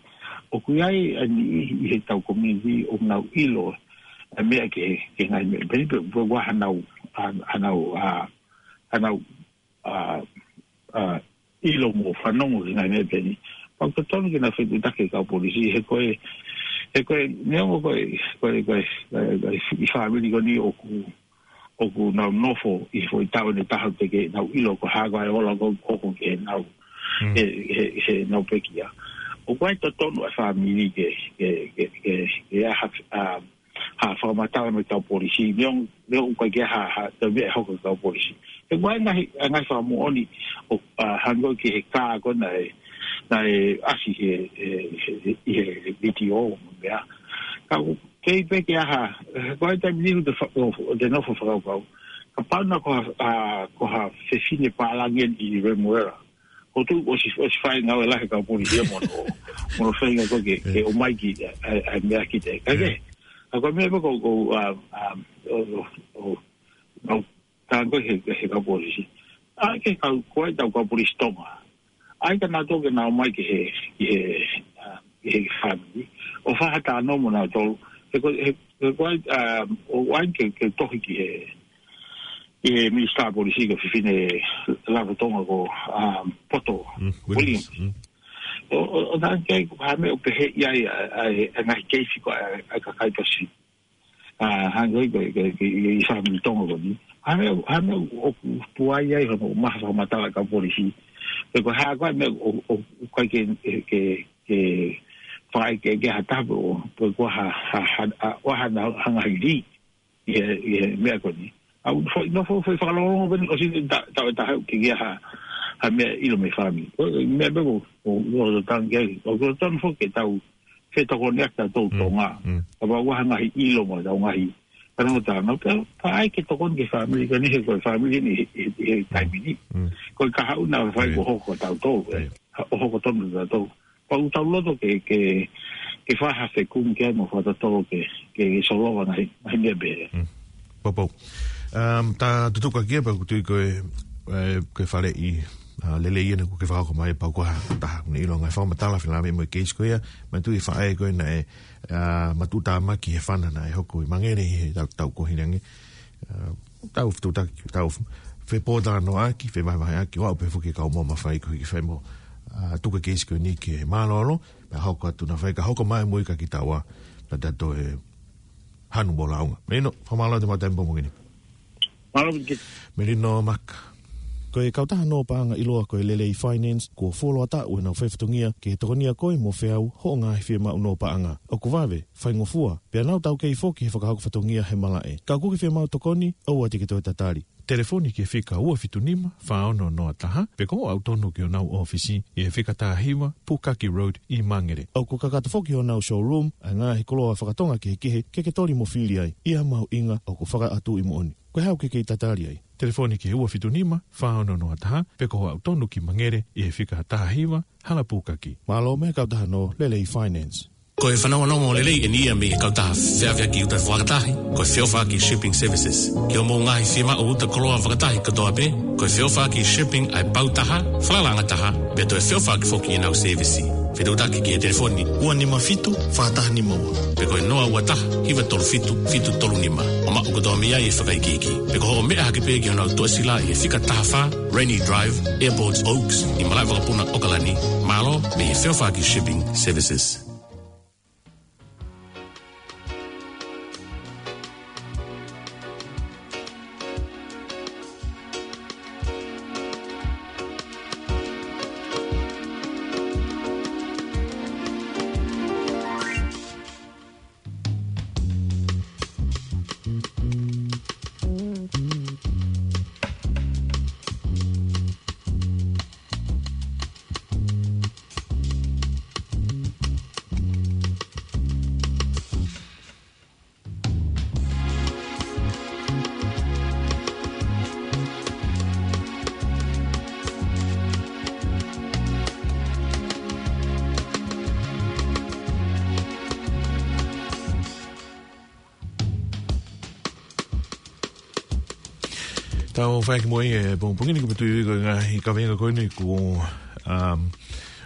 ʻOku ʻi ai ʻa e niʻihi ʻi heʻetau community ʻoku nau ʻilo ʻa e meʻa ki he, ki he ngaahi meʻa. Pea ni pē, pea ʻoku ʻi ai hanau, ʻa, hanau, ʻa, hanau, ʻa, ʻa, ʻilo mo fanongo ki he ngaahi meʻa pehē ni. Pea ʻoku totonu ke nau fetuʻutaki ki he kau polisi, he ko e, he ko e, neongo ko e, ko e, ko e, ko e, ko e, ʻi he fāmili ko eni ʻoku, ʻoku nau nofo ʻi he foʻi taʻu ʻe taha teʻeki ke nau ʻilo ko e hā ko ē ʻa e ola ʻoku hoko ki heʻenau, Mm. he, he, heʻenau pekia. ʻOku ʻi ai e totonu ʻa e fāmili ke, ke, ke, ke, ke ʻai ha, ʻa, ha fakamatala mei he kau polisi, neongo, neongo ʻoku ʻikai ke ʻi ai ha, ha, ha meʻa ʻe hoko ki he kau polisi. He ʻoku ʻi ai e ngaahi, ʻa e ngaahi fakamoʻoni ʻo, ʻa, hangē ko e ki he kā ko ē naʻe, naʻe ʻasi he, he, he, he, he vitiō mo e meʻa. Ka ʻoku kei pē ke ʻi ai ha, he ko e taimi ni ʻoku te fa-, ʻo, ʻo te nofo fakakaukau. Kapau naʻe ko ha, ʻa, ko ha fefine pālangi ʻi Remuera. ʻOku tuʻu ʻosi, ʻosi fai ngāue lahi ʻa e kau polisi ia mo hono, mo hono feinga ko ē ke, ke ʻomai ki, ʻa, ʻa, ʻa e meʻa ki te. Ka ke, ʻa ko e meʻa pē ko, ko, ʻa, ʻa, ʻo, ʻo, ʻo, ʻo, tango he, he kau polisi. ʻAi ke kau, ko e tau kau polisi Tonga. ʻAi ke nau toki nau ʻomai ki he, ki he, ʻa, ki he fāmili. ʻO fai ha talanoa mo nautolu. He ko, he, he ko e, ʻa, ʻo ʻai ke, ke tohi ki he, ki he minisitā polisi ko e fefine lava Tonga ko, ʻa, Poto Mm, Williams. Williams. Mm. ʻO, ʻo, ʻo tango ki ai ko ha meʻa ʻoku pehē ʻi ai, ʻa, ʻa, ʻa, ngaahi keisi ko ē, ʻa, ʻa e kakai Pasifiki. ʻA, hangē ko e, ko e, ko e, ʻi, ʻi fāmili Tonga ko eni. Ha meʻa, ha meʻa ʻoku puai ai hono maha fakamatala ʻa e kau polisi. Pe ko e hā ko ē meʻa ʻo, ʻo, ʻoku ʻikai ke, ke, ke fai ke, ke ha tapu ʻo, pe ko ha, ha, ha, ha, ʻo ha na, ha ngaahi lī. ʻI he, ʻi he meʻa ko eni. ʻA, ʻoku foʻi, nofo foʻi fakalongolongo ko eni, ʻosi ta, ta, ta, ke ʻi ai ha, ha meʻa ʻilo mei he fāmili. Ko e meʻa pē ko, ko, ko, tango ki ai, ʻoku totonu foki ke tau fetokoniʻaki tautolu Mm, Tonga. mm. Kapau ʻoku ʻi ai ha ngaahi ʻilo mo ʻetau ngaahi. Ka nau tau, nau tau, ka ʻai ke tokoni ki he fāmili, ka ni he ko e fāmili ni he, he, he taimi ni. Mm. Ko e kahaʻu naʻe fai Right. ko hoko tautolu, ē. Right. Ha, ʻo hoko tonu tautolu. Pea ʻoku tau loto ke, ke, ke fai ha fekumi ki ai mo fakatotolo ke, ke solova ngaahi, ngaahi meʻa pehē. Mm. Poupou. Um, ta tutuka kia pea ʻoku tui ko e, e, ko e faleʻi, ʻa, lelei ʻena ʻoku ke fakahoko mai pea ko ha taha ʻoku ne ʻilo ngaahi fakamatala felāveʻi mo e keisi ko ia, manatuʻi e faʻē ko ē naʻe, ʻa, matuʻutāmaki he fana naʻe hoko ʻi Mangere ʻi he taʻu, taʻu kuo hilangī. ʻA, tau fetuʻutaki, tau fepōtalanoaʻaki, fevahevaheʻaki, ʻo aʻu pē foki ki he kau mō mafai ko e hiki fai mo, ʻa, tuku e keisi ko eni ke mālōlō, pea hoko atu naʻa faʻa hoko mai mo e ka ki taua, pea ta toe hanu mo launga. Melino, fakamālō atu mo e taimi pongipongi ni. Mālō Miki. Melino Maka. Ko e kautaha nō paʻanga ʻiloa ko e Lelei Finance, kuo fuoloa taʻu ʻenau fai fatongia ke tokonia koe mo feau hoʻo ngaahi fiemaʻu nō paʻanga. ʻOku vave, faingofua, pea nau taukei foki he fakahoko fatongia he malaʻe. Ka ʻoku ke fiemaʻu tokoni, ʻoua te ke toe tatali. Telefoni ki he fika ua fitu nima, fā ono noa taha, pe ko hoʻo aʻu tonu ki honau ʻōfisi ʻi he fika taha hiva, Pukaki Road ʻi Mangere. ʻOku kakato foki honau showroom ʻa e ngaahi koloa fakatonga kehekehe ke ke toli mo fili ai, ʻi ha mahuʻinga ʻoku fakaʻatuʻi moʻoni. Ko e hā ʻoku ke kei tatali ai? Telefoni ki he ua fitu nima, fā ono noa taha, pe ko hoʻo aʻu tonu ki Mangere ʻi he fika taha hiva, Hala Pukaki. Mālō mei he kautaha nō Lelei Finance. Ko e fanongonongo lelei eni ia mei he kautaha feʻaveʻaki uta fakatahi, ko e Feʻofaʻaki Shipping Services. Ki hoʻomou ngaahi fiemaʻu uta koloa fakatahi kotoa pē, ko e Feʻofaʻaki Shipping ʻa e pau taha, falalaʻanga taha, pea toe feʻofaʻaki foki ʻenau sēvisi. Fetuʻutaki ki he telefoni ua nima fitu, fā taha nima ua. Pe ko e noa ua taha, hiva tolu fitu, fitu tolu nima. ʻO maʻu kotoa mei ai e fakaikiiki. Pe ko hoʻo meʻa hake pē ki honau tuʻasila ʻi he fika taha fā, Rainy Drive, Airport Oaks, ʻi Malaʻevakapuna, ʻAokalani. Mālō mei he Feʻofaʻaki Shipping Services. Tau fai ki mui e pongipongi ni, ko e putui ko e ngaahi kaveinga ko eni kuo, um,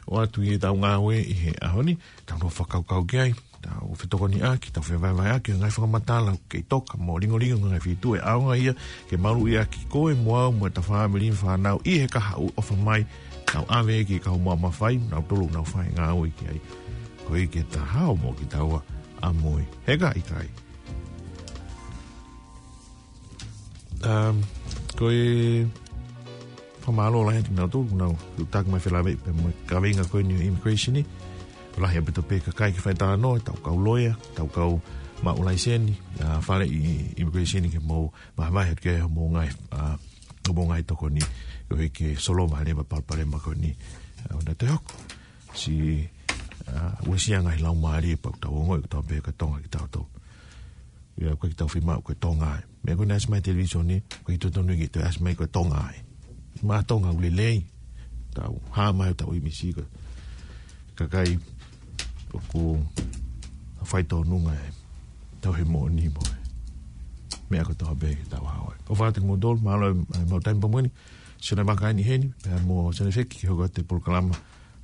ʻoatu ʻi heʻetau ngāue ʻi he ʻaho ni, tau nofo fakakaukau ki ai, tau fetokoniʻaki, tau fevahevaheʻaki, ngaahi fakamatala, kei toka mo lingolingo, ngaahi feituʻu ʻe ʻaonga ia ke maluʻi ʻaki koe mo au mo ʻeta fāmili mo e fānau ʻi he kahaʻu ʻofa mai, tau ʻave ki he kau mamafa, nautolu ʻoku nau fai ngāue ki ai. Koeʻuhi ke ta hao mo kitaua ʻamui. He ka ʻikai. Um, ko e fakamālō lahi atu kinautolu, nau, ʻoku taki mai felāveʻi pē mo e kaveinga ko eni ʻo e immigration ni. Lahi ʻaupito pē kakai ke fai talanoa, tau kau loea, tau kau maʻu laiseni, ʻa, faleʻi immigration ke mou vahevahe atu ki ai hoʻomou ngaahi, ʻa, hoʻomou ngaahi tokoni, koeʻuhi ke solova leva e palopalema ko eni. ʻA, ʻoua naʻa toe hoko. Siʻi, ʻa, uesia ngaahi laumālie pea ʻoku tau ongoʻi kotoa pē ko Tonga kitautolu. ʻIo, ʻoku ʻikai ke tau fiemaʻu ko e Tonga ē. Meʻa ko eni ʻasi mai he televīsone, ʻoku ʻikai totonu ke toe ʻasi mai ko e Tonga ē. Maʻa Tonga ʻoku lelei. Tau hā mai ʻo tau ʻimisi ko e kakai ʻoku faitōnunga ʻetau tauhi moʻoni mo e meʻa kotoa pē ke tau hao ai. ʻOfa atu kimoutolu, mālō e, e mau taimi pea mo eni. Sione Maka eni heni, pea mo Sione Feki ke hoko atu e polokalama,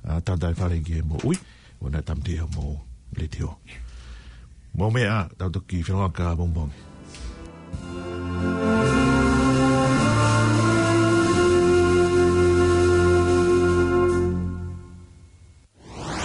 ʻa, Tata e Fale ki he Moʻui, ʻo na tamti ʻa mo letiō. Mau meʻa, tau toki feʻiloaki ʻapongipongi.